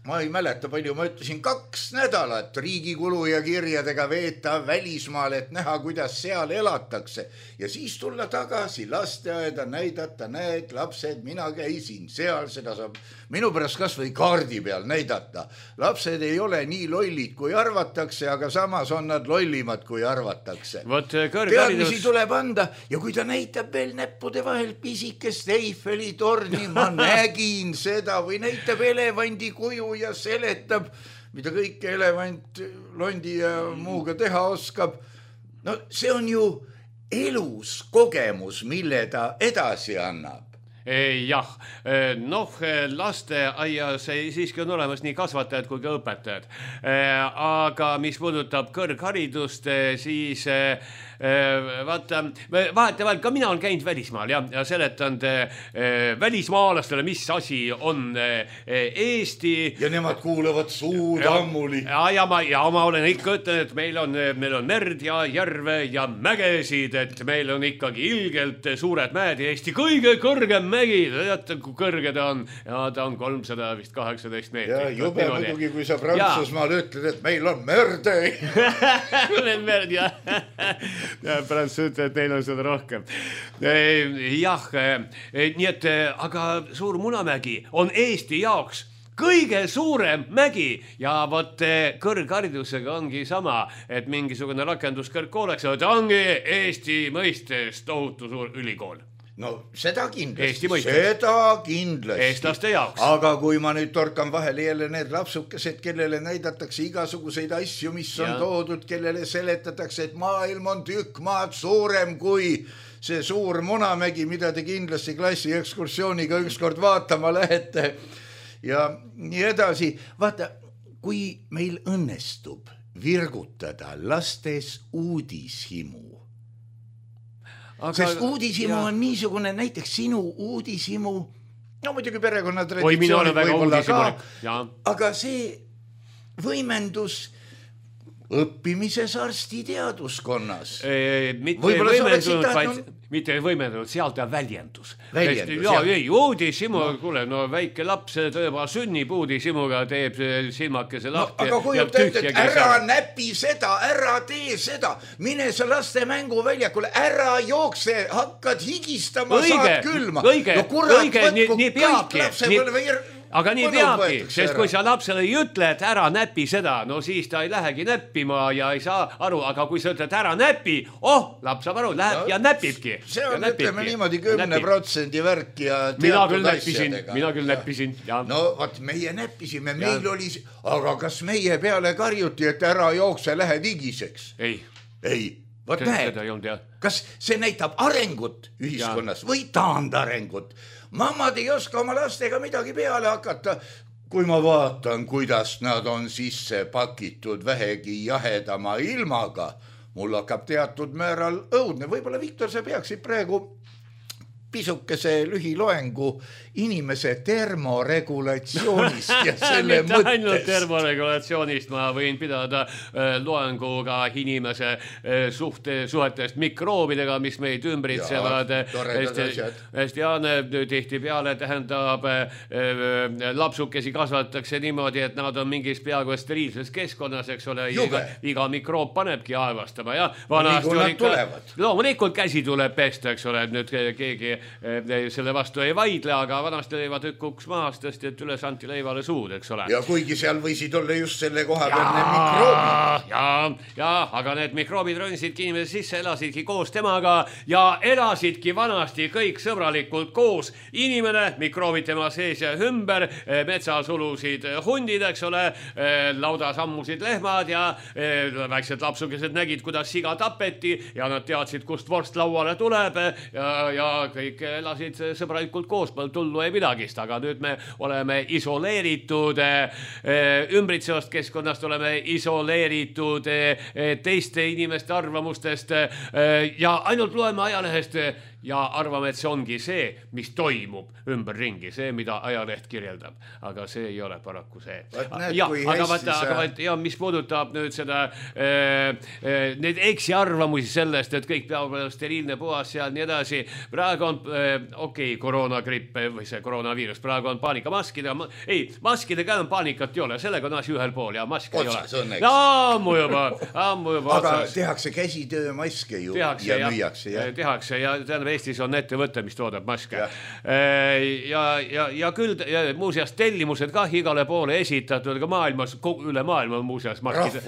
Ma ei mäleta palju, ma ütlesin kaks nädalat riigikulu ja kirjadega veeta välismaal, et näha, kuidas seal elatakse. Ja siis tulla tagasi lasteaeda, näidata, näed, lapsed, mina käisin seal, seda saab minu pärast kas või kaardi peal näidata. Lapsed ei ole nii lollid, kui arvatakse, aga samas on nad lollimad, kui arvatakse. Teadmisi tuleb anda ja kui ta näitab veel näppude vahel pisikest Eiffeli torni, ma nägin seda või näitab elevandi kuju ja seletab, mida kõike elevant, londi ja muuga teha oskab. No see on ju elus kogemus, mille ta edasi annab. Jah, noh, lasteaias siiski on olemas nii kasvatajad kui ka õpetajad. Aga mis puudutab kõrgharidust, siis vaata, vahetevahel ka mina olen käinud välismaal ja, ja seletanud välismaalastele, mis asi on Eesti. Ja nemad kuulevad suud ammuli. Ja, ja, ma, ja ma olen ikka ütlen, et meil on, meil on merd ja järve ja mägesid, et meil on ikkagi ilgelt suured mäed ja Eesti kõige kõrgem mägi, teate, kui kõrge ta on, ja ta on kolmsada vist kaheksateist meetrit. Ja jube muidugi, kui sa Prantsusmaal ütled, et meil on merde. Merd, jah. Ja pärast ütled, et neil on seda rohkem. Jah, nii et, aga Suur Munamägi on Eesti jaoks kõige suurem mägi ja võt kõrgharidusega ongi sama, et mingisugune rakenduskõrgkooleks, et ongi Eesti mõistes tohutu suur ülikool. No seda kindlasti, seda kindlasti. Eestlaste jaoks. Aga kui ma nüüd torkan vahele jälle need lapsukesed, kellele näidatakse igasuguseid asju, mis on ja. toodud, kellele seletatakse, et maailm on tükk maad suurem kui see Suur Munamägi, mida te kindlasti klassi ekskursiooniga ükskord vaatama lähete ja nii edasi. Vaata, kui meil õnnestub virgutada lastes uudishimu, Aga, sest uudishimu ja. on niisugune, näiteks sinu uudishimu, no muidugi perekonnatraditsioonid võib-olla ka, aga see võimendus õppimises arstiteaduskonnas. E, mitte võimendunud, vaid mitte võimendunud, seal ta väljendus. Väljendus, ja, ei, uudishimu, no. kuule, no väike laps tõeba sünnib uudishimuga, teeb silmakese lahti. No, aga kui ütled, et ära näpi seda, ära tee seda, mine sa laste mänguväljakule, ära jookse, hakkad higistama, õige, saad külma. Õige, no kurat, õige, nii, nii peabki. Nii... Aga nii peabki, sest kui sa lapsele ei ütle, et ära näpi seda, no siis ta ei lähegi näppima ja ei saa aru, aga kui sa ütled ära näpi, oh, laps saab aru, läheb no, ja näpibki. See on, ütleme niimoodi, kümne protsendi värk ja mina küll näppisin, mina küll näppisin. Ja. No, vaat meie näppisime, meil ja. oli, aga kas meie peale karjuti, et ära jookse, lähe digiseks? Ei. Ei, vaat näed, kas see näitab arengut ühiskonnas ja. või taandarengut? Mammad ei oska oma lastega midagi peale hakata, kui ma vaatan, kuidas nad on sisse pakitud vähegi jahedama ilmaga. Mul hakkab teatud määral õudne. Võib-olla, Viktor, sa peaksid praegu pisukese lühiloengu inimese termoregulatsioonist ja selle mitte mõttest. ainult termoregulatsioonist, ma võin pidada äh, loenguga inimese äh, suhte, suhetest mikroobidega, mis meid ümbritsevad. Hästi Jaane tihti peale tähendab äh, äh, lapsukesi kasvatatakse niimoodi, et nad on mingis peaaegu steriilses keskkonnas, eks ole, iga, iga mikroob panebki aevastama ja vanasti no, oli ikka, loomulikult käsi tuleb pesta, eks ole, et nüüd keegi äh, selle vastu ei vaidle, aga vanasti leiva tükkuks maast, tõesti, et üles anti leivale suud, eks ole. Ja kuigi seal võisid olla just selle koha peal need mikroobid. Ja, ja, aga need mikroobid rõnsidki inimese sisse, elasidki koos temaga ja elasidki vanasti kõik sõbralikult koos. Inimene, mikroobid tema sees ja ümber, metsasulusid hundid, eks ole, laudas ammusid lehmad ja väiksed lapsukesed nägid, kuidas siga tapeti ja nad teadsid, kust vorst lauale tuleb ja, ja kõik elasid sõbralikult koos, meil tullu ei midagist, aga nüüd me oleme isoleeritud ümbritsevast keskkonnast, oleme isoleeritud teiste inimeste arvamustest ja ainult loeme ajalehest ja arvame, et see ongi see, mis toimub ümberringi, see, mida ajaleht kirjeldab. Aga see ei ole paraku see. Ja, aga vaata, aga vaata, ja mis puudutab nüüd seda äh, äh, need eksi arvamusi sellest, et kõik peab olema steriilne puhas ja nii edasi. Praegu on, äh, okei, okay, koroonagripp või see koroonaviirus, praegu on paanika maskide, ma, ei, maskide ka on paanikat ei ole, sellega on asi ühel pool ja maske ei ole. Ja ammu juba, ammu juba. Aga otsas. Tehakse käsitöö maske ju tehakse, ja, ja müüakse. Ja. Tehakse ja tähendab, Eestis on ettevõte, mis toodab maske. Ja, ja, ja, ja küll ja, muuseas tellimused ka igale poole esitatud, aga maailmas, üle maailma on muuseas maskid,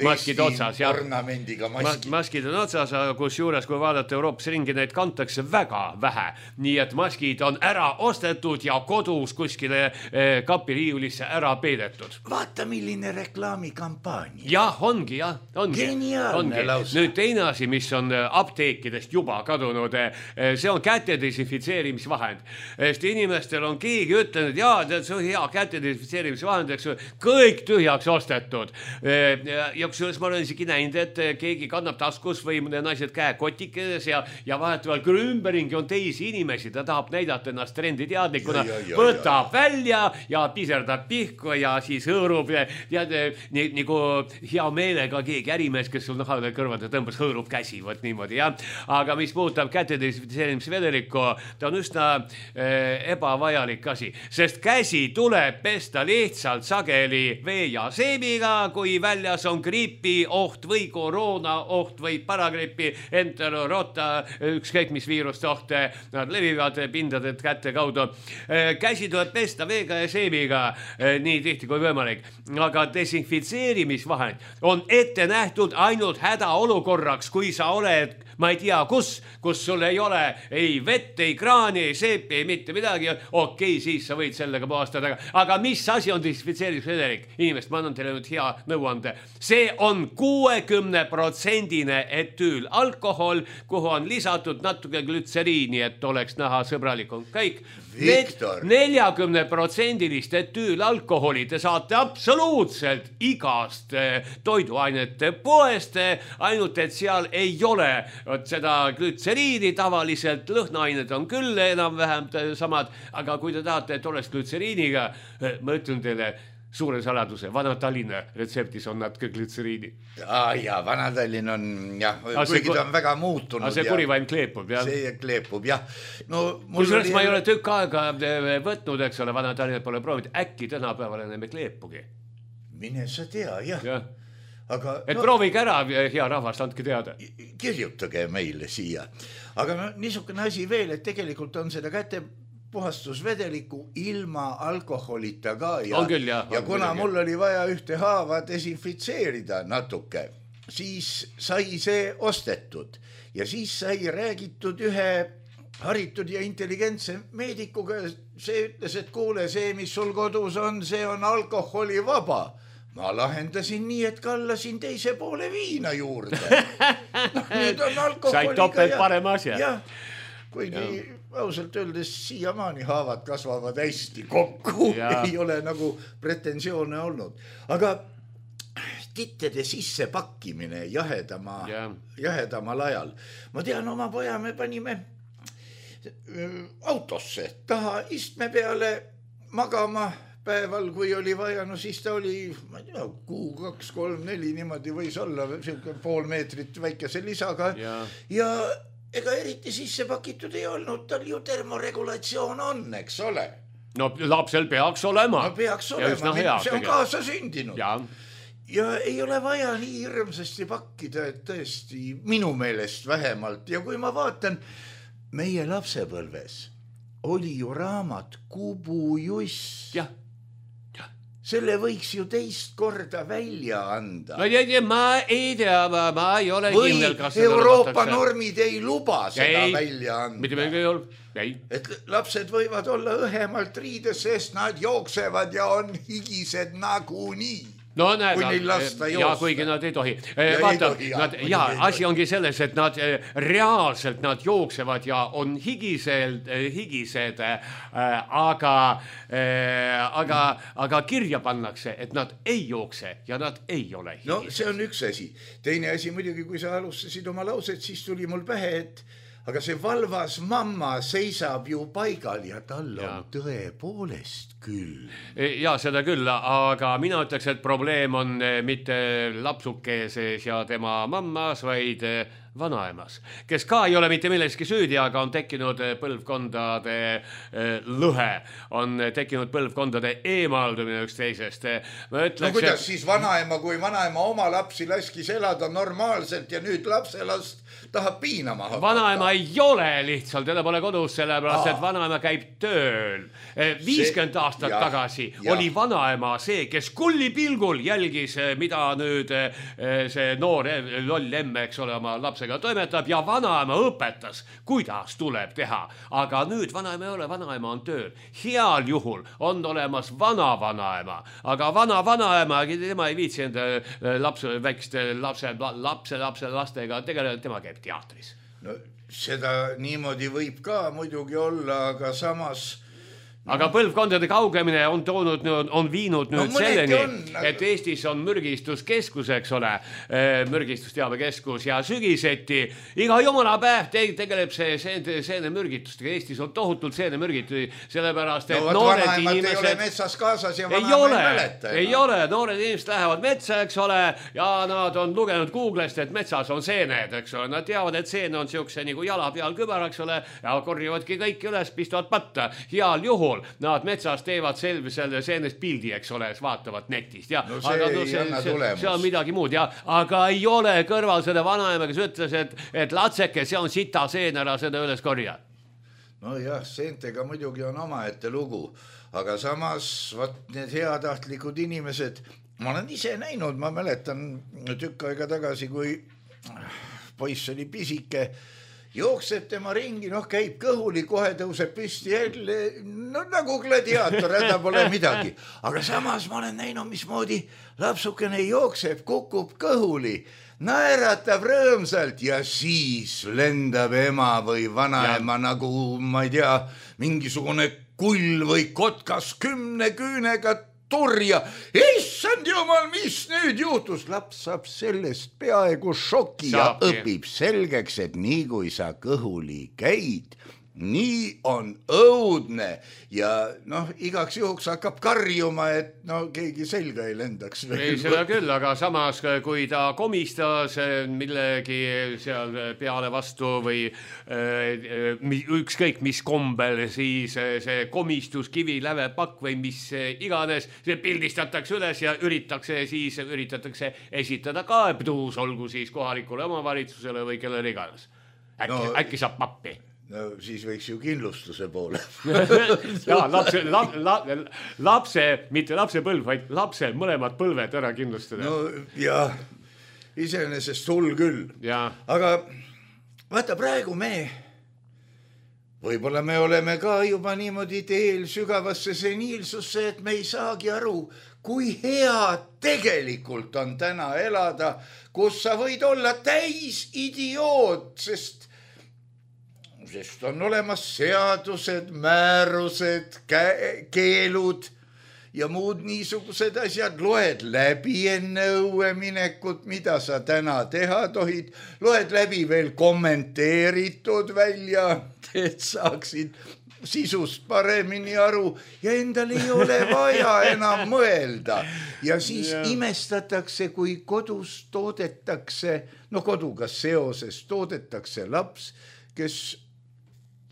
maskid otsas. Ja, ornamendiga maskid. Maskid on otsas, kus juures, kui vaadata Euroopas ringi, neid kantakse väga vähe. Nii et maskid on ära ostetud ja kodus kuskile eh, kapiriiulisse ära peidetud. Vaata, milline reklaamikampaania. Jah, ongi, jah, ongi. Geniaalne lausa. Nüüd teine asi, mis on apteekidest juba kadunud, see on käte desinfitseerimisvahend. Sest inimestel on keegi ütlenud, jaa, see on hea käte desinfitseerimisvahend, eks kõik tühjaks ostetud. Ja, ja kusjuures ma olen isegi näinud, et keegi kannab taskus või naised käekotikedes ja, ja vahetavalt küll ümberingi on teisi inimesi, ta tahab näidata ennast trenditeadlikuna, ja, ja, ja, võtab ja. välja ja piserdab pihku ja siis hõõrub ja, ja nii, nagu hea meelega keegi ärimees, kes sul nahale kõrvade tõmbas, hõõrub käsi, võt niimoodi, jah. Aga mis puudutab käte desinfitseerimisvedelikku, ta on üsna äh, ebavajalik asi, sest käsi tuleb pesta lihtsalt sageli vee ja seebiga, kui väljas on gripi oht või koroona oht või paragripi, enterorota, ükskõik mis viiruste ohte, nad levivad pindade kätte kaudu. Äh, käsi tuleb pesta veega ja seebiga äh, nii tihti kui võimalik, aga desinfitseerimisvahend on ette nähtud ainult hädaolukorraks, kui sa oled, ma ei tea, kus, kus sul ei ole ei vett, ei kraani, ei seepi, ei mitte midagi, okei, siis sa võid sellega puhastada. Aga mis asi on desinfitseerimisvedelik? Inimest, ma annan teile nüüd hea nõuande. See on kuuekümne protsendine etüül alkohol, kuhu on lisatud natuke glütseriini, et oleks näha sõbralikum. Kõik neljakümne protsendilist etüül alkoholi te saate absoluutselt igast toiduainete poest, ainult et seal ei ole seda glütseriini, tavaliselt lõhnaained on küll enam-vähem samad, aga kui te tahate, et oleks glütseriiniga, ma ütlen teile suure saladuse, Vana-Tallinna retseptis on natuke glütseriini. Ah, ja, Vana-Tallinn on, jah, kuigi ta on väga muutunud. Aga see kurivaim kleepub, jah. See kleepub, jah. No, kui sellest oli... ma ei ole tükk aega võtnud, eks ole, Vana-Tallinnat pole proovinud, äkki tänapäeval enam ei kleepugi. Mine sa tea, jah. Ja. Aga, et no, proovige ära, hea rahvast, andke teada. Kirjutage meile siia. Aga no, niisugune asi veel, et tegelikult on seda käte puhastusvedeliku ilma alkoholita ka ja, küll, jah, ja kuna küll, mul oli vaja ühte haava desinfitseerida natuke, siis sai see ostetud ja siis sai räägitud ühe haritud ja intelligentse meedikuga, see ütles, et kuule, see, mis sul kodus on, see on alkoholivaba. Ma lahendasin nii, et kallasin teise poole viina juurde. No, nüüd on alkoholiga. Sai topelt parema asja. Jah, kuigi ja. Ausalt öeldes siiamaani haavad kasvavad hästi kokku, ja. Ei ole nagu pretensioone olnud. Aga tittede sisse pakkimine jahedama, ja. Jahedamal ajal. Ma tean, oma poja me panime autosse taha istme peale magama päeval, kui oli vaja, no siis ta oli, ma ei tea, kuu, kaks, kolm, neli, niimoodi võis olla pool meetrit väikese lisaga ja, ja ega eriti sisse pakitud ei olnud, tal ju termoregulatsioon on, eks ole. No lapsel peaks olema. No peaks olema, hea, see on kaasa sündinud. Ja. ja ei ole vaja nii hirmsasti pakkida, et tõesti minu meelest vähemalt. Ja kui ma vaatan, meie lapsepõlves oli ju raamat Kubu Juss. Jah. Selle võiks ju teist korda välja anda. No, ja, ja, ma ei tea, ma, ma ei ole või kindel, kas Euroopa normid ei luba seda ei, välja anda. Mitte meil ei ole. Ei. Et lapsed võivad olla õhemalt riides, sest nad jooksevad ja on higised nagunii. No näed, kui neil lasta joosta. Ja kuigi nad ei tohi. Ja, Vaata, ei tohi, ja, nad, ja asi tohi. Ongi selles, et nad reaalselt nad jooksevad ja on higised, higised aga, aga, aga kirja pannakse, et nad ei jookse ja nad ei ole higised. No see on üks asi. Teine asi muidugi, kui sa alustasid oma lauset, siis tuli mul pähe, et aga see valvas mamma seisab ju paigal ja tal on ja. Tõepoolest küll. Ja seda küll, aga mina ütleks, et probleem on mitte lapsukeses ja tema mammas, vaid vanaemas, kes ka ei ole mitte milleski süüdi, aga on tekkinud põlvkondade lõhe, on tekkinud põlvkondade eemaldumine üksteisest. No kuidas et... siis vanaema, kui vanaema oma lapsi laskis elada normaalselt ja nüüd lapselast tahab piinama hakata? Vanaema ei ole lihtsalt, teda pole kodus, sellepärast, et vanaema käib tööl. viiskümmend aastat ja, tagasi ja. Oli vanaema see, kes kulli pilgul jälgis, mida nüüd see noor loll emme, eks ole, oma lapsega toimetab ja vanaema õpetas, kuidas tuleb teha. Aga nüüd vanaema ei ole, vanaema on tööl. Heal juhul on olemas vana vanaema, aga vana vanaema, tema ei viitsi enda lapse, väikeste lapse, lapse, lapse lastega tegeleda, tema käib teatris. No seda niimoodi võib ka muidugi olla, aga samas aga põlvkondade kaugemine on toonud, on viinud nüüd no, selleni, on, aga... et Eestis on mürgistuskeskus, eks ole, mürgistusteabekeskus ja sügiseti iga jumala päev tegeleb see seene, seene mürgitustega. Eestis on tohutult seene mürgitusi, sellepärast, et no, noored inimesed... ei ole metsas kaasas ja vana ei ole, ei mäleta. Ei ole, noored inimesed lähevad metsa, eks ole, ja nad on lugenud Googlest, et metsas on seened, eks ole. Nad teavad, et seen on siukse nagu jala peal kübar, eks ole, ja korjavadki kõik üles, pistavad patta. Heal juhul nad metsas teevad selve selle seenest pildi, eks ole, vaatavad netist. Ja, no see aga, no, ei see, anna see, tulemus. See on midagi muud, ja. Aga ei ole kõrval seda vanaema, kes ütles, et, et latseke, see on sita seen, ära seda üles korja. No jah, seentega muidugi on omaette lugu, aga samas vaat need heatahtlikud inimesed, ma olen ise näinud, ma mäletan tükk aega tagasi, kui poiss oli pisike, jookseb tema ringi, noh käib kõhuli, kohe tõuseb püsti jälle, no nagu gladiaator, häda pole midagi. Aga samas ma olen näinud, mismoodi lapsukene jookseb, kukub kõhuli, naeratab rõõmsalt ja siis lendab ema või vanaema ja. Nagu, ma ei tea, mingisugune kull või kotkas kümne küünega turja. Issand jumal, mis nüüd juhtus? Laps saab sellest peaaegu šoki ja õpib selgeks, et nii kui sa kõhuli käid, nii on õudne ja noh, igaks juhuks hakkab karjuma, et no keegi selga ei lendaks. Ei seda küll, aga samas kui ta komistas millegi seal peale vastu või ükskõik mis kombel, siis see komistus, kivi, läve, pakk või mis iganes, see pildistatakse üles ja üritatakse siis üritatakse esitada kaebtuus, olgu siis kohalikule omavalitsusele või kellele iganes. Äkki, no, äkki saab pappi. No siis võiks ju kindlustuse poole. ja, lapse, lap, la, lapse, mitte lapse põlv, vaid lapse mõlemad põlved ära kindlustada. No ja, iseenesest sul küll. Ja. Aga vaata praegu me, võib-olla me oleme ka juba niimoodi teel sügavasse seniilsusse, et me ei saagi aru, kui hea tegelikult on täna elada, kus sa võid olla täis idioot, sest sest on olemas seadused, määrused, keelud ja muud niisugused asjad, loed läbi enne õue minekut, mida sa täna teha tohid, loed läbi veel kommenteeritud välja, et saaksid sisust paremini aru ja endal ei ole vaja enam mõelda. Ja siis yeah. imestatakse, kui kodus toodetakse, no koduga seoses toodetakse laps, kes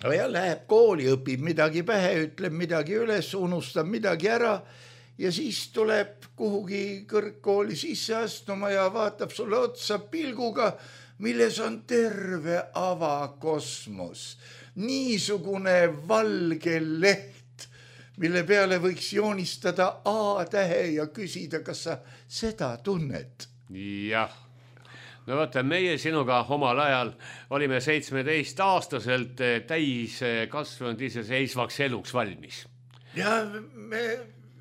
ja läheb kooli, õpib midagi pähe, ütleb midagi üles, unustab midagi ära ja siis tuleb kuhugi kõrgkooli sisse astuma ja vaatab sulle otsa pilguga, milles on terve avakosmos. Niisugune valge leht, mille peale võiks joonistada A-tähe ja küsida, kas sa seda tunned? Jah. No vaata, meie sinuga omal ajal olime seitsmeteist aastaselt täis kasvanud iseseisvaks eluks valmis. Ja me...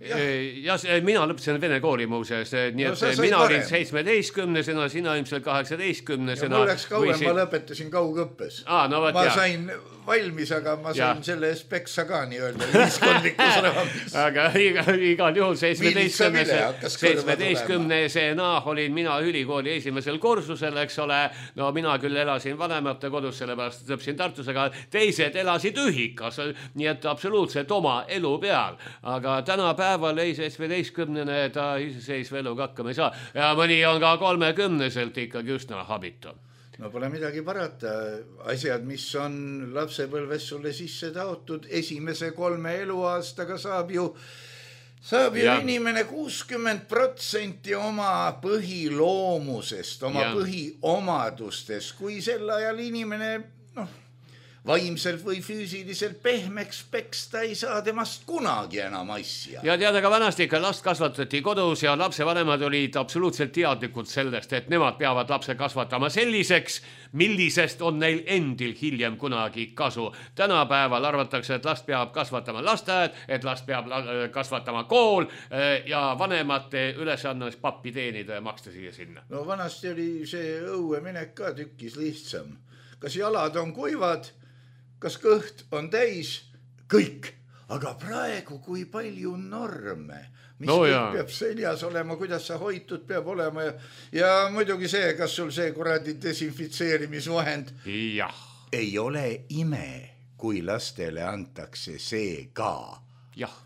Ja, ja mina lõpetasin Vene kooli muuseas, nii et no, mina olin seitsmeteistkümnesena, sina ilmselt kaheksateistkümnesena. Ja mul läks kauem, siin... ma lõpetasin kaugõppes. Aa, no, võt, ma jah. sain valmis, aga ma sain ja. selle eest peksa ka nii-öelda ühiskondlikus raamis. Aga iga, igal juhul seitsmeteistkümnesena olin mina ülikooli esimesel kursusel, eks ole. No mina küll elasin vanemate kodus, sellepärast lõpsin Tartus, aga teised elasid ühikas, nii et absoluutselt oma elu peal. Aga täna päeval ei seitsmeteistkümnene ta iseseisva eluga hakkama ei saa. Ja mõni on ka kolmekümneselt ikkagi üsna habitu. No pole midagi parata. Asjad, mis on lapsepõlves sulle sisse taotud, esimese kolme eluaastaga saab ju, saab ju inimene kuuskümmend protsenti oma põhiloomusest, oma ja. põhiomadustest, kui sel ajal inimene noh, vaimselt või füüsiliselt pehmeks peksta ei saa temast kunagi enam asja. Ja teada ka vanasti ikka last kasvatati kodus ja lapsevanemad olid absoluutselt teadlikud sellest, et nemad peavad lapse kasvatama selliseks, millisest on neil endil hiljem kunagi kasu. Tänapäeval arvatakse, et last peab kasvatama lasteaed, et last peab kasvatama kool ja vanemate ülesannes pappi teenida ja maksta siia sinna. No vanasti oli see õue minek ka tükkis lihtsam. Kas jalad on kuivad? Kas kõht on täis? Kõik. Aga praegu kui palju norme, mis no peab seljas olema, kuidas sa hoitud peab olema ja, ja muidugi see, kas sul see kuradi desinfitseerimisvahend jah. Ei ole ime, kui lastele antakse see ka. Jah.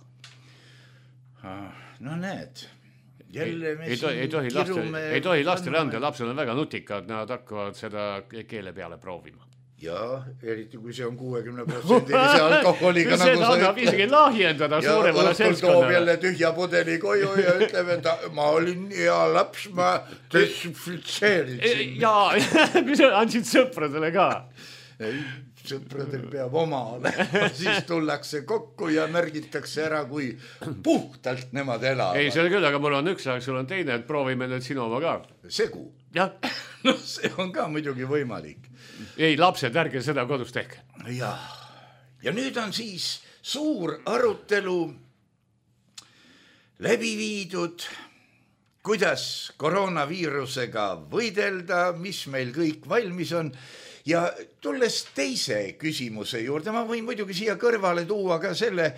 No näed, jälle me ei, ei, ei, tohi laste, ei tohi lastele anda, lapsed on väga nutikad, nad hakkavad seda keele peale proovima. Ja, eriti kui see on kuuekümne protsendilise alkoholiga. Nagu see annab isegi lahjendada suuremale seltskonnale. Ja õhtul toob jälle tühja pudeli koju ja ütleb, et ma olin hea laps, ma desinfitseerisin. Jaa, mis andsid sõpradele ka? Ei, sõpradel peab oma olema. Siis tullakse kokku ja märgitakse ära, kui puhtalt nemad elavad. Ei, see on küll, aga mul on üks, aga sul on teine, et proovime nüüd sinu oma ka. Segu? Jah. No see on ka muidugi võimalik. Ei, lapsed, ärge seda kodus tehke. Ja, ja nüüd on siis suur arutelu läbi viidud, kuidas koroonaviirusega võidelda, mis meil kõik valmis on. Ja tulles teise küsimuse juurde, ma võin muidugi siia kõrvale tuua ka selle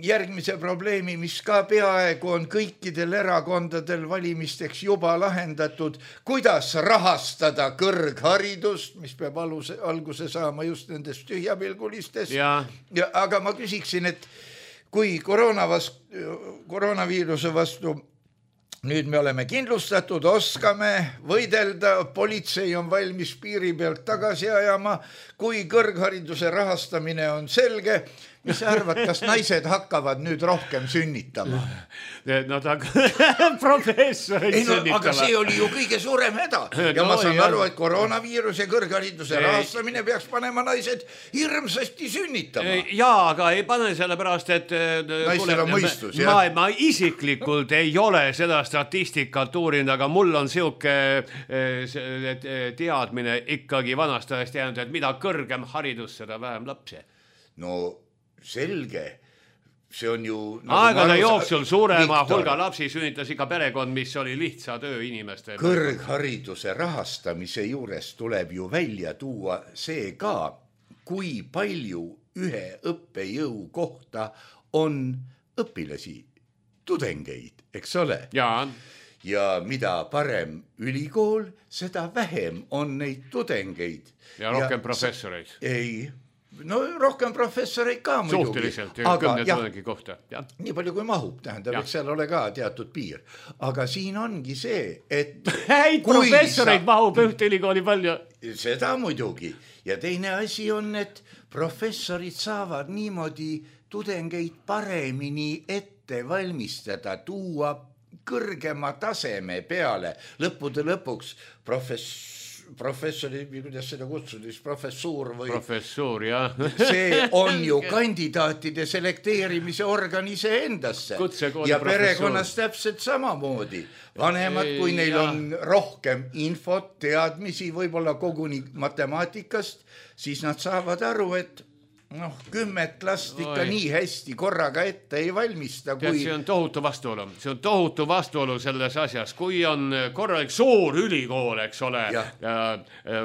järgmise probleemi, mis ka peaaegu on kõikidel erakondadel valimisteks juba lahendatud, kuidas rahastada kõrgharidust, mis peab aluse, alguse saama just nendest tühjapilgulistest. Ja. Ja, aga ma küsiksin, et kui koroona vastu, koroonaviiruse vastu nüüd me oleme kindlustatud, oskame võidelda, politsei on valmis piiri pealt tagasi ajama, kui kõrghariduse rahastamine on selge, mis sa arvad, kas naised hakkavad nüüd rohkem sünnitama? No ta professorid ei, no, sünnitama. Aga see oli ju kõige suurem häda. Ja no, ma saan jah. aru, et koroonaviirus ja kõrghariduse rahastamine peaks panema naised hirmsasti sünnitama. Jaa, aga ei pane selle pärast, et naistel on mõistus, ma, ma isiklikult ei ole seda statistikat uurinud, aga mul on siuke teadmine ikkagi vanast ajast jäänud, et mida kõrgem haridus, seda vähem lapsi. No selge, see on ju nagu aegade jooksul suurema Viktor. Hulga lapsi sünnitas ikka perekond, mis oli lihtsa töö inimeste. Kõrghariduse rahastamise juures tuleb ju välja tuua see ka, kui palju ühe õppejõu kohta on õpilasi. tudengeid, eks ole. Jaa. Ja mida parem ülikool, seda vähem on neid tudengeid. Ja rohkem ja, professoreid. Ei, no rohkem professoreid ka muidugi. Suhteliselt, kümne tudengi kohta. Ja. Nii palju kui mahub, tähendab, eks seal ole ka teatud piir. Aga siin ongi see, et häid professoreid sa... mahub ühte ülikooli palju. Seda muidugi. Ja teine asi on, et professorid saavad niimoodi tudengeid paremini ette valmistada, tuua kõrgema taseme peale. Lõppude lõpuks profess... professori, kuidas seda kutsudis, professuur või... Professuur, jah. See on ju kandidaatide selekteerimise organ ise endasse. Ja perekonnas täpselt samamoodi. Vanemad, kui neil ja. on rohkem infot, teadmisi, võib-olla koguni matemaatikast, siis nad saavad aru, et noh, kümmet last ikka Oi. nii hästi korraga ette ei valmista. Kui... See on tohutu vastuolu. See on tohutu vastuolu selles asjas. Kui on korralik suur ülikool, eks ole, ja. Ja,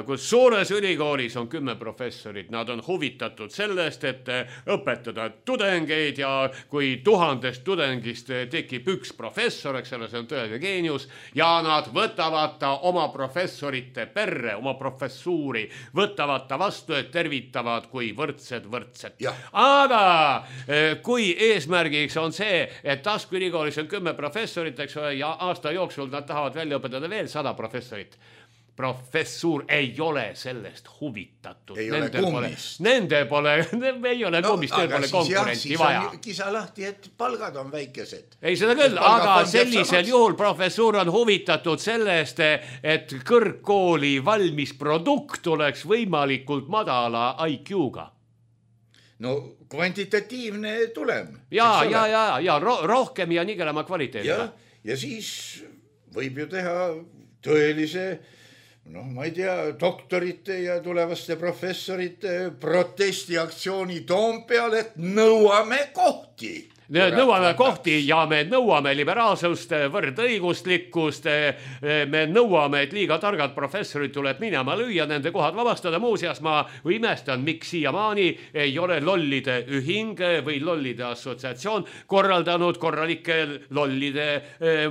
kus suures ülikoolis on kümme professorit, nad on huvitatud sellest, et õpetada tudengeid ja kui tuhandest tudengist tekib üks professor, eks ole, see on tõeline geenius, ja nad võtavad ta oma professorite perre, oma professuuri, võtavad ta vastu, et tervitavad kui võrdsed võrdsed. Aga kui eesmärgiks on see, et Tasku ülikoolis on kümme professorit, eks ole, ja aasta jooksul nad tahavad välja õpetada veel sada professorit. Professuur ei ole sellest huvitatud. Ei ole kummist. Nende pole, ei ole no, kummist, neil pole konkurenti vaja. Kisa lahti, et palgad on väikesed. Ei seda küll, aga sellisel juhul professuur on huvitatud sellest, et kõrgkooli valmis produkt oleks võimalikult madala I Q-ga. No kvantitatiivne tulem. Ja, ja, ja, ja ro- rohkem ja nigelema kvaliteediga. Ja, ja siis võib ju teha tõelise, noh, ma ei tea, doktorite ja tulevaste professorite protestiaktsiooni Toompeal, et nõuame kohti. Nõuame kohti ja me nõuame liberaalsust, võrdõiguslikkust, me nõuame, et liiga targad professorid tuleb minema lüüa, nende kohad vabastada. Muuseas ma imestan, miks siiamaani ei ole lollide ühing või lollide assotsiatsioon korraldanud korralikke lollide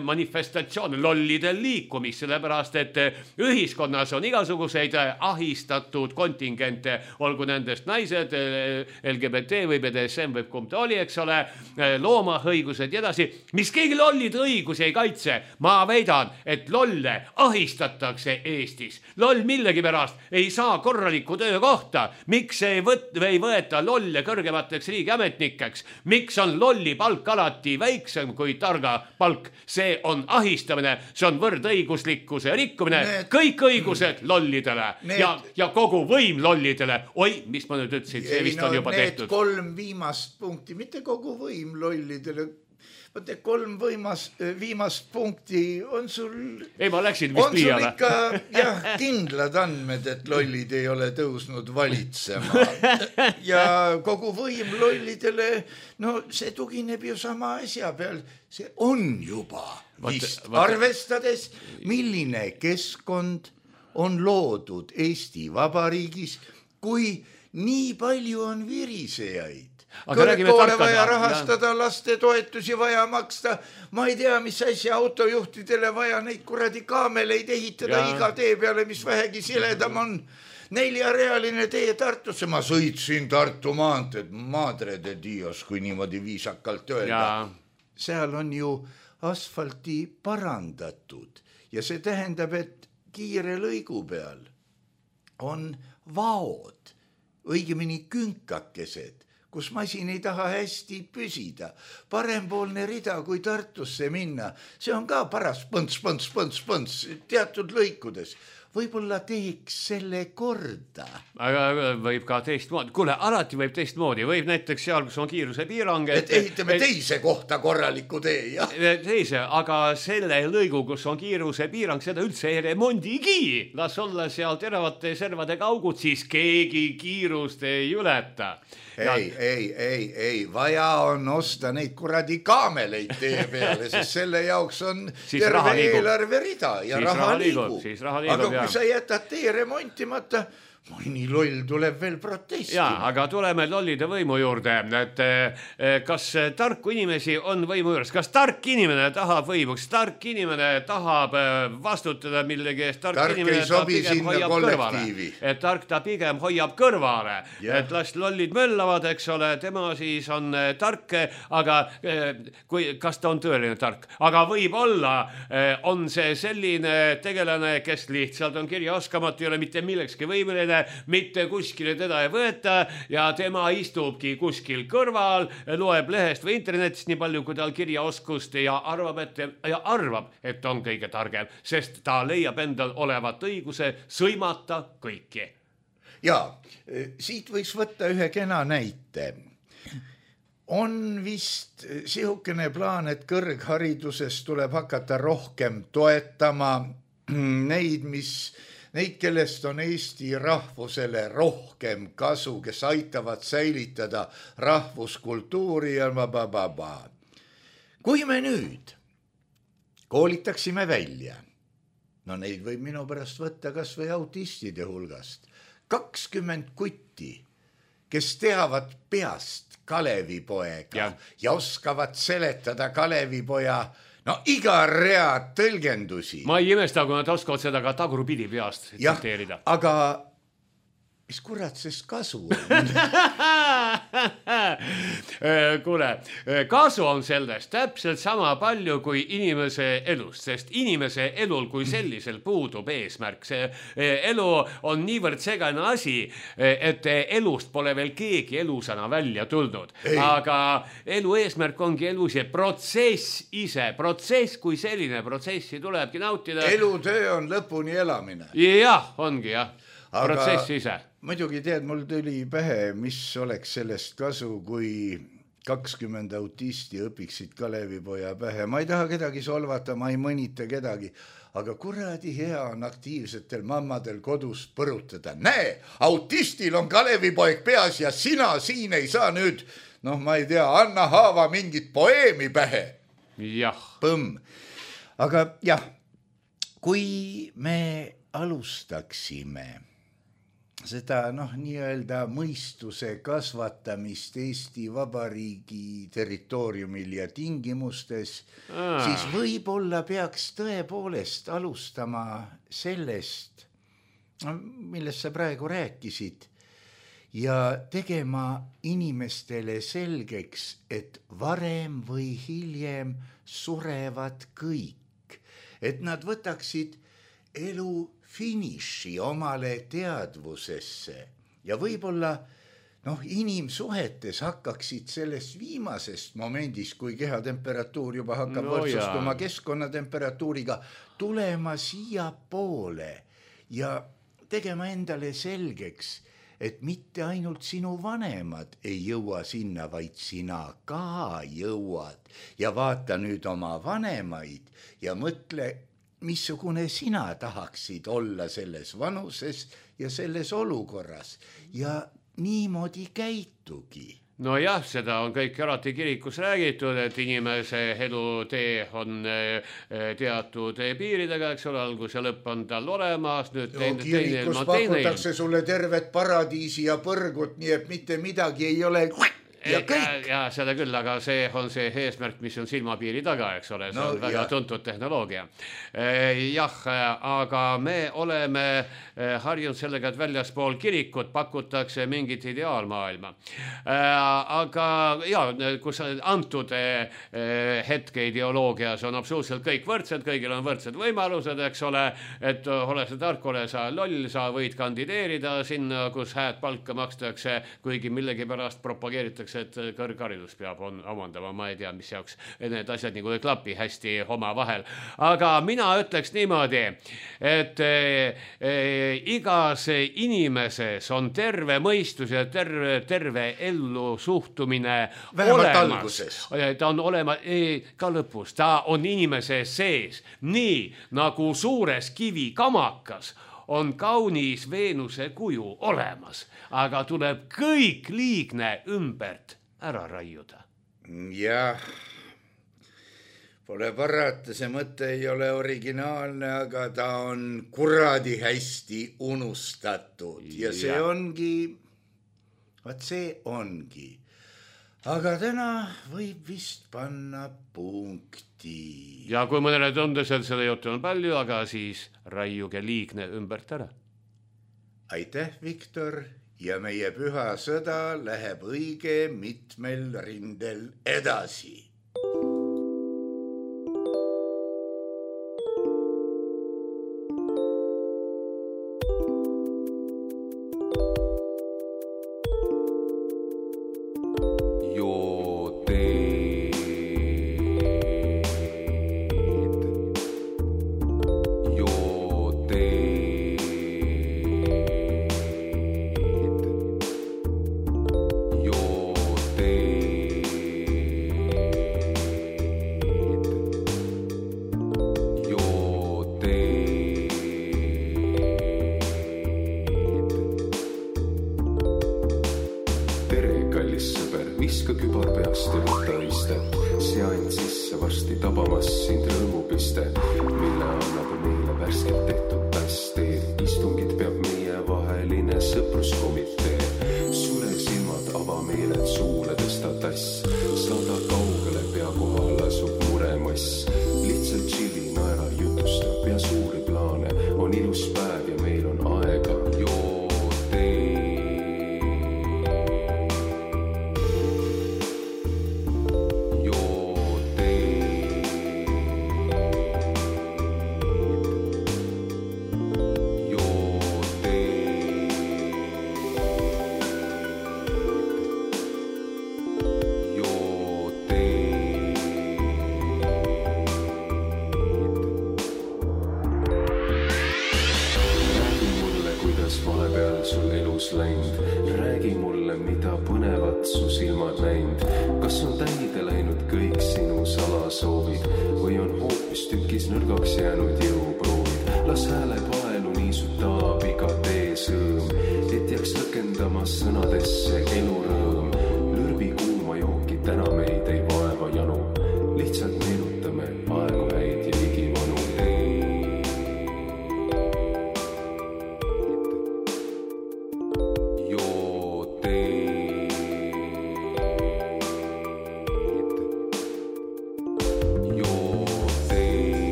manifestatsioone, lollide liikumist, sellepärast et ühiskonnas on igasuguseid ahistatud kontingente, olgu nendest naised, L G B T või B D S M või kumb ta oli, eks ole, loomahõigused ja edasi, mis keegi lollide õigusi ei kaitse. Ma väidan, et lolle ahistatakse Eestis. Loll millegi pärast ei saa korralikku töökohta. Miks ei, võt- ei võeta lolle kõrgemateks riigiametnikeks? Miks on lolli palk alati väiksem kui targa palk? See on ahistamine, see on võrdõiguslikkuse rikkumine. Need... Kõik õigused lollidele need... ja, ja kogu võim lollidele. Oi, mis ma nüüd ütlesin, see vist no, on juba need tehtud. Need kolm viimast punkti, mitte kogu võim lollidele. Võte kolm võimas, viimast punkti on sul... Ei, ma läksin vist liiale. On sul ikka jah, kindlad andmed, et lollid ei ole tõusnud valitsema. Ja kogu võim lollidele, no see tugineb ju sama asja peal. See on juba vist vaata, vaata. Arvestades, milline keskkond on loodud Eesti Vabariigis, kui nii palju on virisejaid. Kõrgkoole vaja rahastada, laste toetusi vaja maksta, ma ei tea, mis asja autojuhtidele vaja neid kuradi kaameleid ehitada ja. Iga tee peale, mis vähegi siledam on. Neljarealine tee Tartusse, ma sõitsin Tartu maanteed, madre de Dios, kui niimoodi viisakalt öelda. Ja. Seal on ju asfalti parandatud ja see tähendab, et kiire lõigu peal on vaod, õigemini künkakesed, kus masin ei taha hästi püsida. Parempoolne rida, kui Tartusse minna, see on ka paras põnts, põnts, põnts, põnts teatud lõikudes. Võib-olla teeks selle korda. Aga võib ka teistmoodi. Kuule, alati võib teistmoodi. Võib näiteks seal, kus on kiiruse piirang. Et ehitame et, teise kohta korraliku tee, jah? Teise, aga selle lõigu, kus on kiiruse piirang, seda üldse ei remondigi. Las olla seal teravate servadega augud, siis keegi kiirust ei ületa. Ei, ei, ei, ei, vaja on osta neid kuradi kaameleid tee peale, sest selle jaoks on siis terve eelarve rida ja siis raha liigub. Siis raha liigub, aga kui sa jätad tee remontimata, mõni loll tuleb veel protestima. Jaa, aga tuleme lollide võimu juurde, et kas tarku inimesi on võimu juures, kas tark inimene tahab võimu, kas tark inimene tahab vastutada millegi eest, tark, tark inimene ta pigem hoiab kõrvale, et tark ta pigem hoiab kõrvale, yeah. et las lollid möllavad, eks ole, tema siis on tark, aga kui, kas ta on tõeline tark, aga võib-olla on see selline tegelane, kes lihtsalt on kirjaoskamatu, ei ole mitte millekski võimeline, mitte kuskile teda ei võeta ja tema istubki kuskil kõrval, loeb lehest või internetist nii palju, kui tal kirjaoskust ja arvab, et, ja arvab, et on kõige targem, sest ta leiab endal olevat õiguse sõimata kõiki. Ja, siit võiks võtta ühe kena näite. On vist sihukene plaan, et kõrghariduses tuleb hakata rohkem toetama neid, mis Neid, kellest on Eesti rahvusele rohkem kasu, kes aitavad säilitada rahvuskultuuri ja bababa. Kui me nüüd koolitaksime välja, no neid võib minu pärast võtta kas või autistide hulgast, kakskümmend kutti, kes teavad peast Kalevipoega ja, ja oskavad seletada Kalevipoja no iga rea tõlgendusi. Ma ei imesta, kui nad oskavad seda ka tagurpidi peast tsiteerida. Aga mis kurat sest kasu on? Kuule, kasu on sellest täpselt sama palju kui inimese elust, sest inimese elul kui sellisel puudub eesmärk. See elu on niivõrd segane asi, et elust pole veel keegi elusana välja tulnud. Ei. Aga elu eesmärk ongi elu see protsess ise. Protsess kui selline protsessi tulebki nautida. Elutöö on lõpuni elamine. Jah, ongi jah. Aga protsess ise. Muidugi tead, mul tuli pähe, mis oleks sellest kasu, kui kakskümmend autisti õpiksid Kalevipoja pähe. Ma ei taha kedagi solvata, ma ei mõnita kedagi, aga kuradi hea on aktiivsetel mammadel kodus põrutada. Näe, autistil on Kalevipoeg peas ja sina siin ei saa nüüd, noh, ma ei tea, anna haava mingit poeemi pähe. Jah. Põmm. Aga jah, kui me alustaksime seda noh, nii-öelda mõistuse kasvatamist Eesti Vabariigi territooriumil ja tingimustes, Aa. siis võib-olla peaks tõepoolest alustama sellest, millest sa praegu rääkisid, ja tegema inimestele selgeks, et varem või hiljem surevad kõik, et nad võtaksid elu finiši omale teadvusesse ja võib-olla noh, inimsuhetes hakkaksid sellest viimasest momendist, kui kehatemperatuur juba hakkab no võrdsustuma keskkonnatemperatuuriga, tulema siia poole ja tegema endale selgeks, et mitte ainult sinu vanemad ei jõua sinna, vaid sina ka jõuad ja vaata nüüd oma vanemaid ja mõtle, missugune sina tahaksid olla selles vanuses ja selles olukorras ja niimoodi käitugi. No jah, seda on kõik alati kirikus räägitud, et inimese elutee on teatud piiridega, eks ole, algus ja lõpp on tal olemas. Nüüd jo, teine, kirikus teine, pakutakse teine... sulle tervet paradiisi ja põrgut, nii et mitte midagi ei ole... Ja, ja, ja seda küll, aga see on see eesmärk, mis on silmapiiri taga, eks ole, see no, on väga ja. tuntud tehnoloogia. Jah, aga me oleme harjunud sellega, et väljaspool kirikut pakutakse mingit ideaalmaailma. Aga ja, kus antud hetke ideoloogias on absoluutselt kõik võrdsed, kõigil on võrdsed võimalused, eks ole, et ole sa tark, ole sa loll, sa võid kandideerida sinna, kus hääd palka makstakse, kuigi millegi pärast propageeritakse, et kõrgharidus peab on, omandama, ma ei tea, mis jaoks need asjad nagu ei klapi hästi oma vahel. Aga mina ütleks niimoodi, et e, e, igas inimeses on terve mõistus ja terve, terve ellu suhtumine vähemalt olemas. Ta on olema e, ka lõpus, ta on inimese sees, nii nagu suures kivi kamakas on kaunis Veenuse kuju olemas, aga tuleb kõik liigne ümbert ära raiuda. Jah, Pole parata, see mõte ei ole originaalne, aga ta on kuradi hästi unustatud ja see ongi, vaat see ongi. Aga täna võib vist panna punkti. Ja kui mõnele tundesel selle juttu on palju, aga siis raiuge liigne ümbert ära. Aitäh, Viktor, ja meie püha sõda läheb õige mitmel rindel edasi.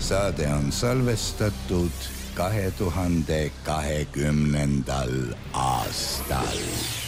Saade on salvestatud kahe tuhande kahekümnendal aastal.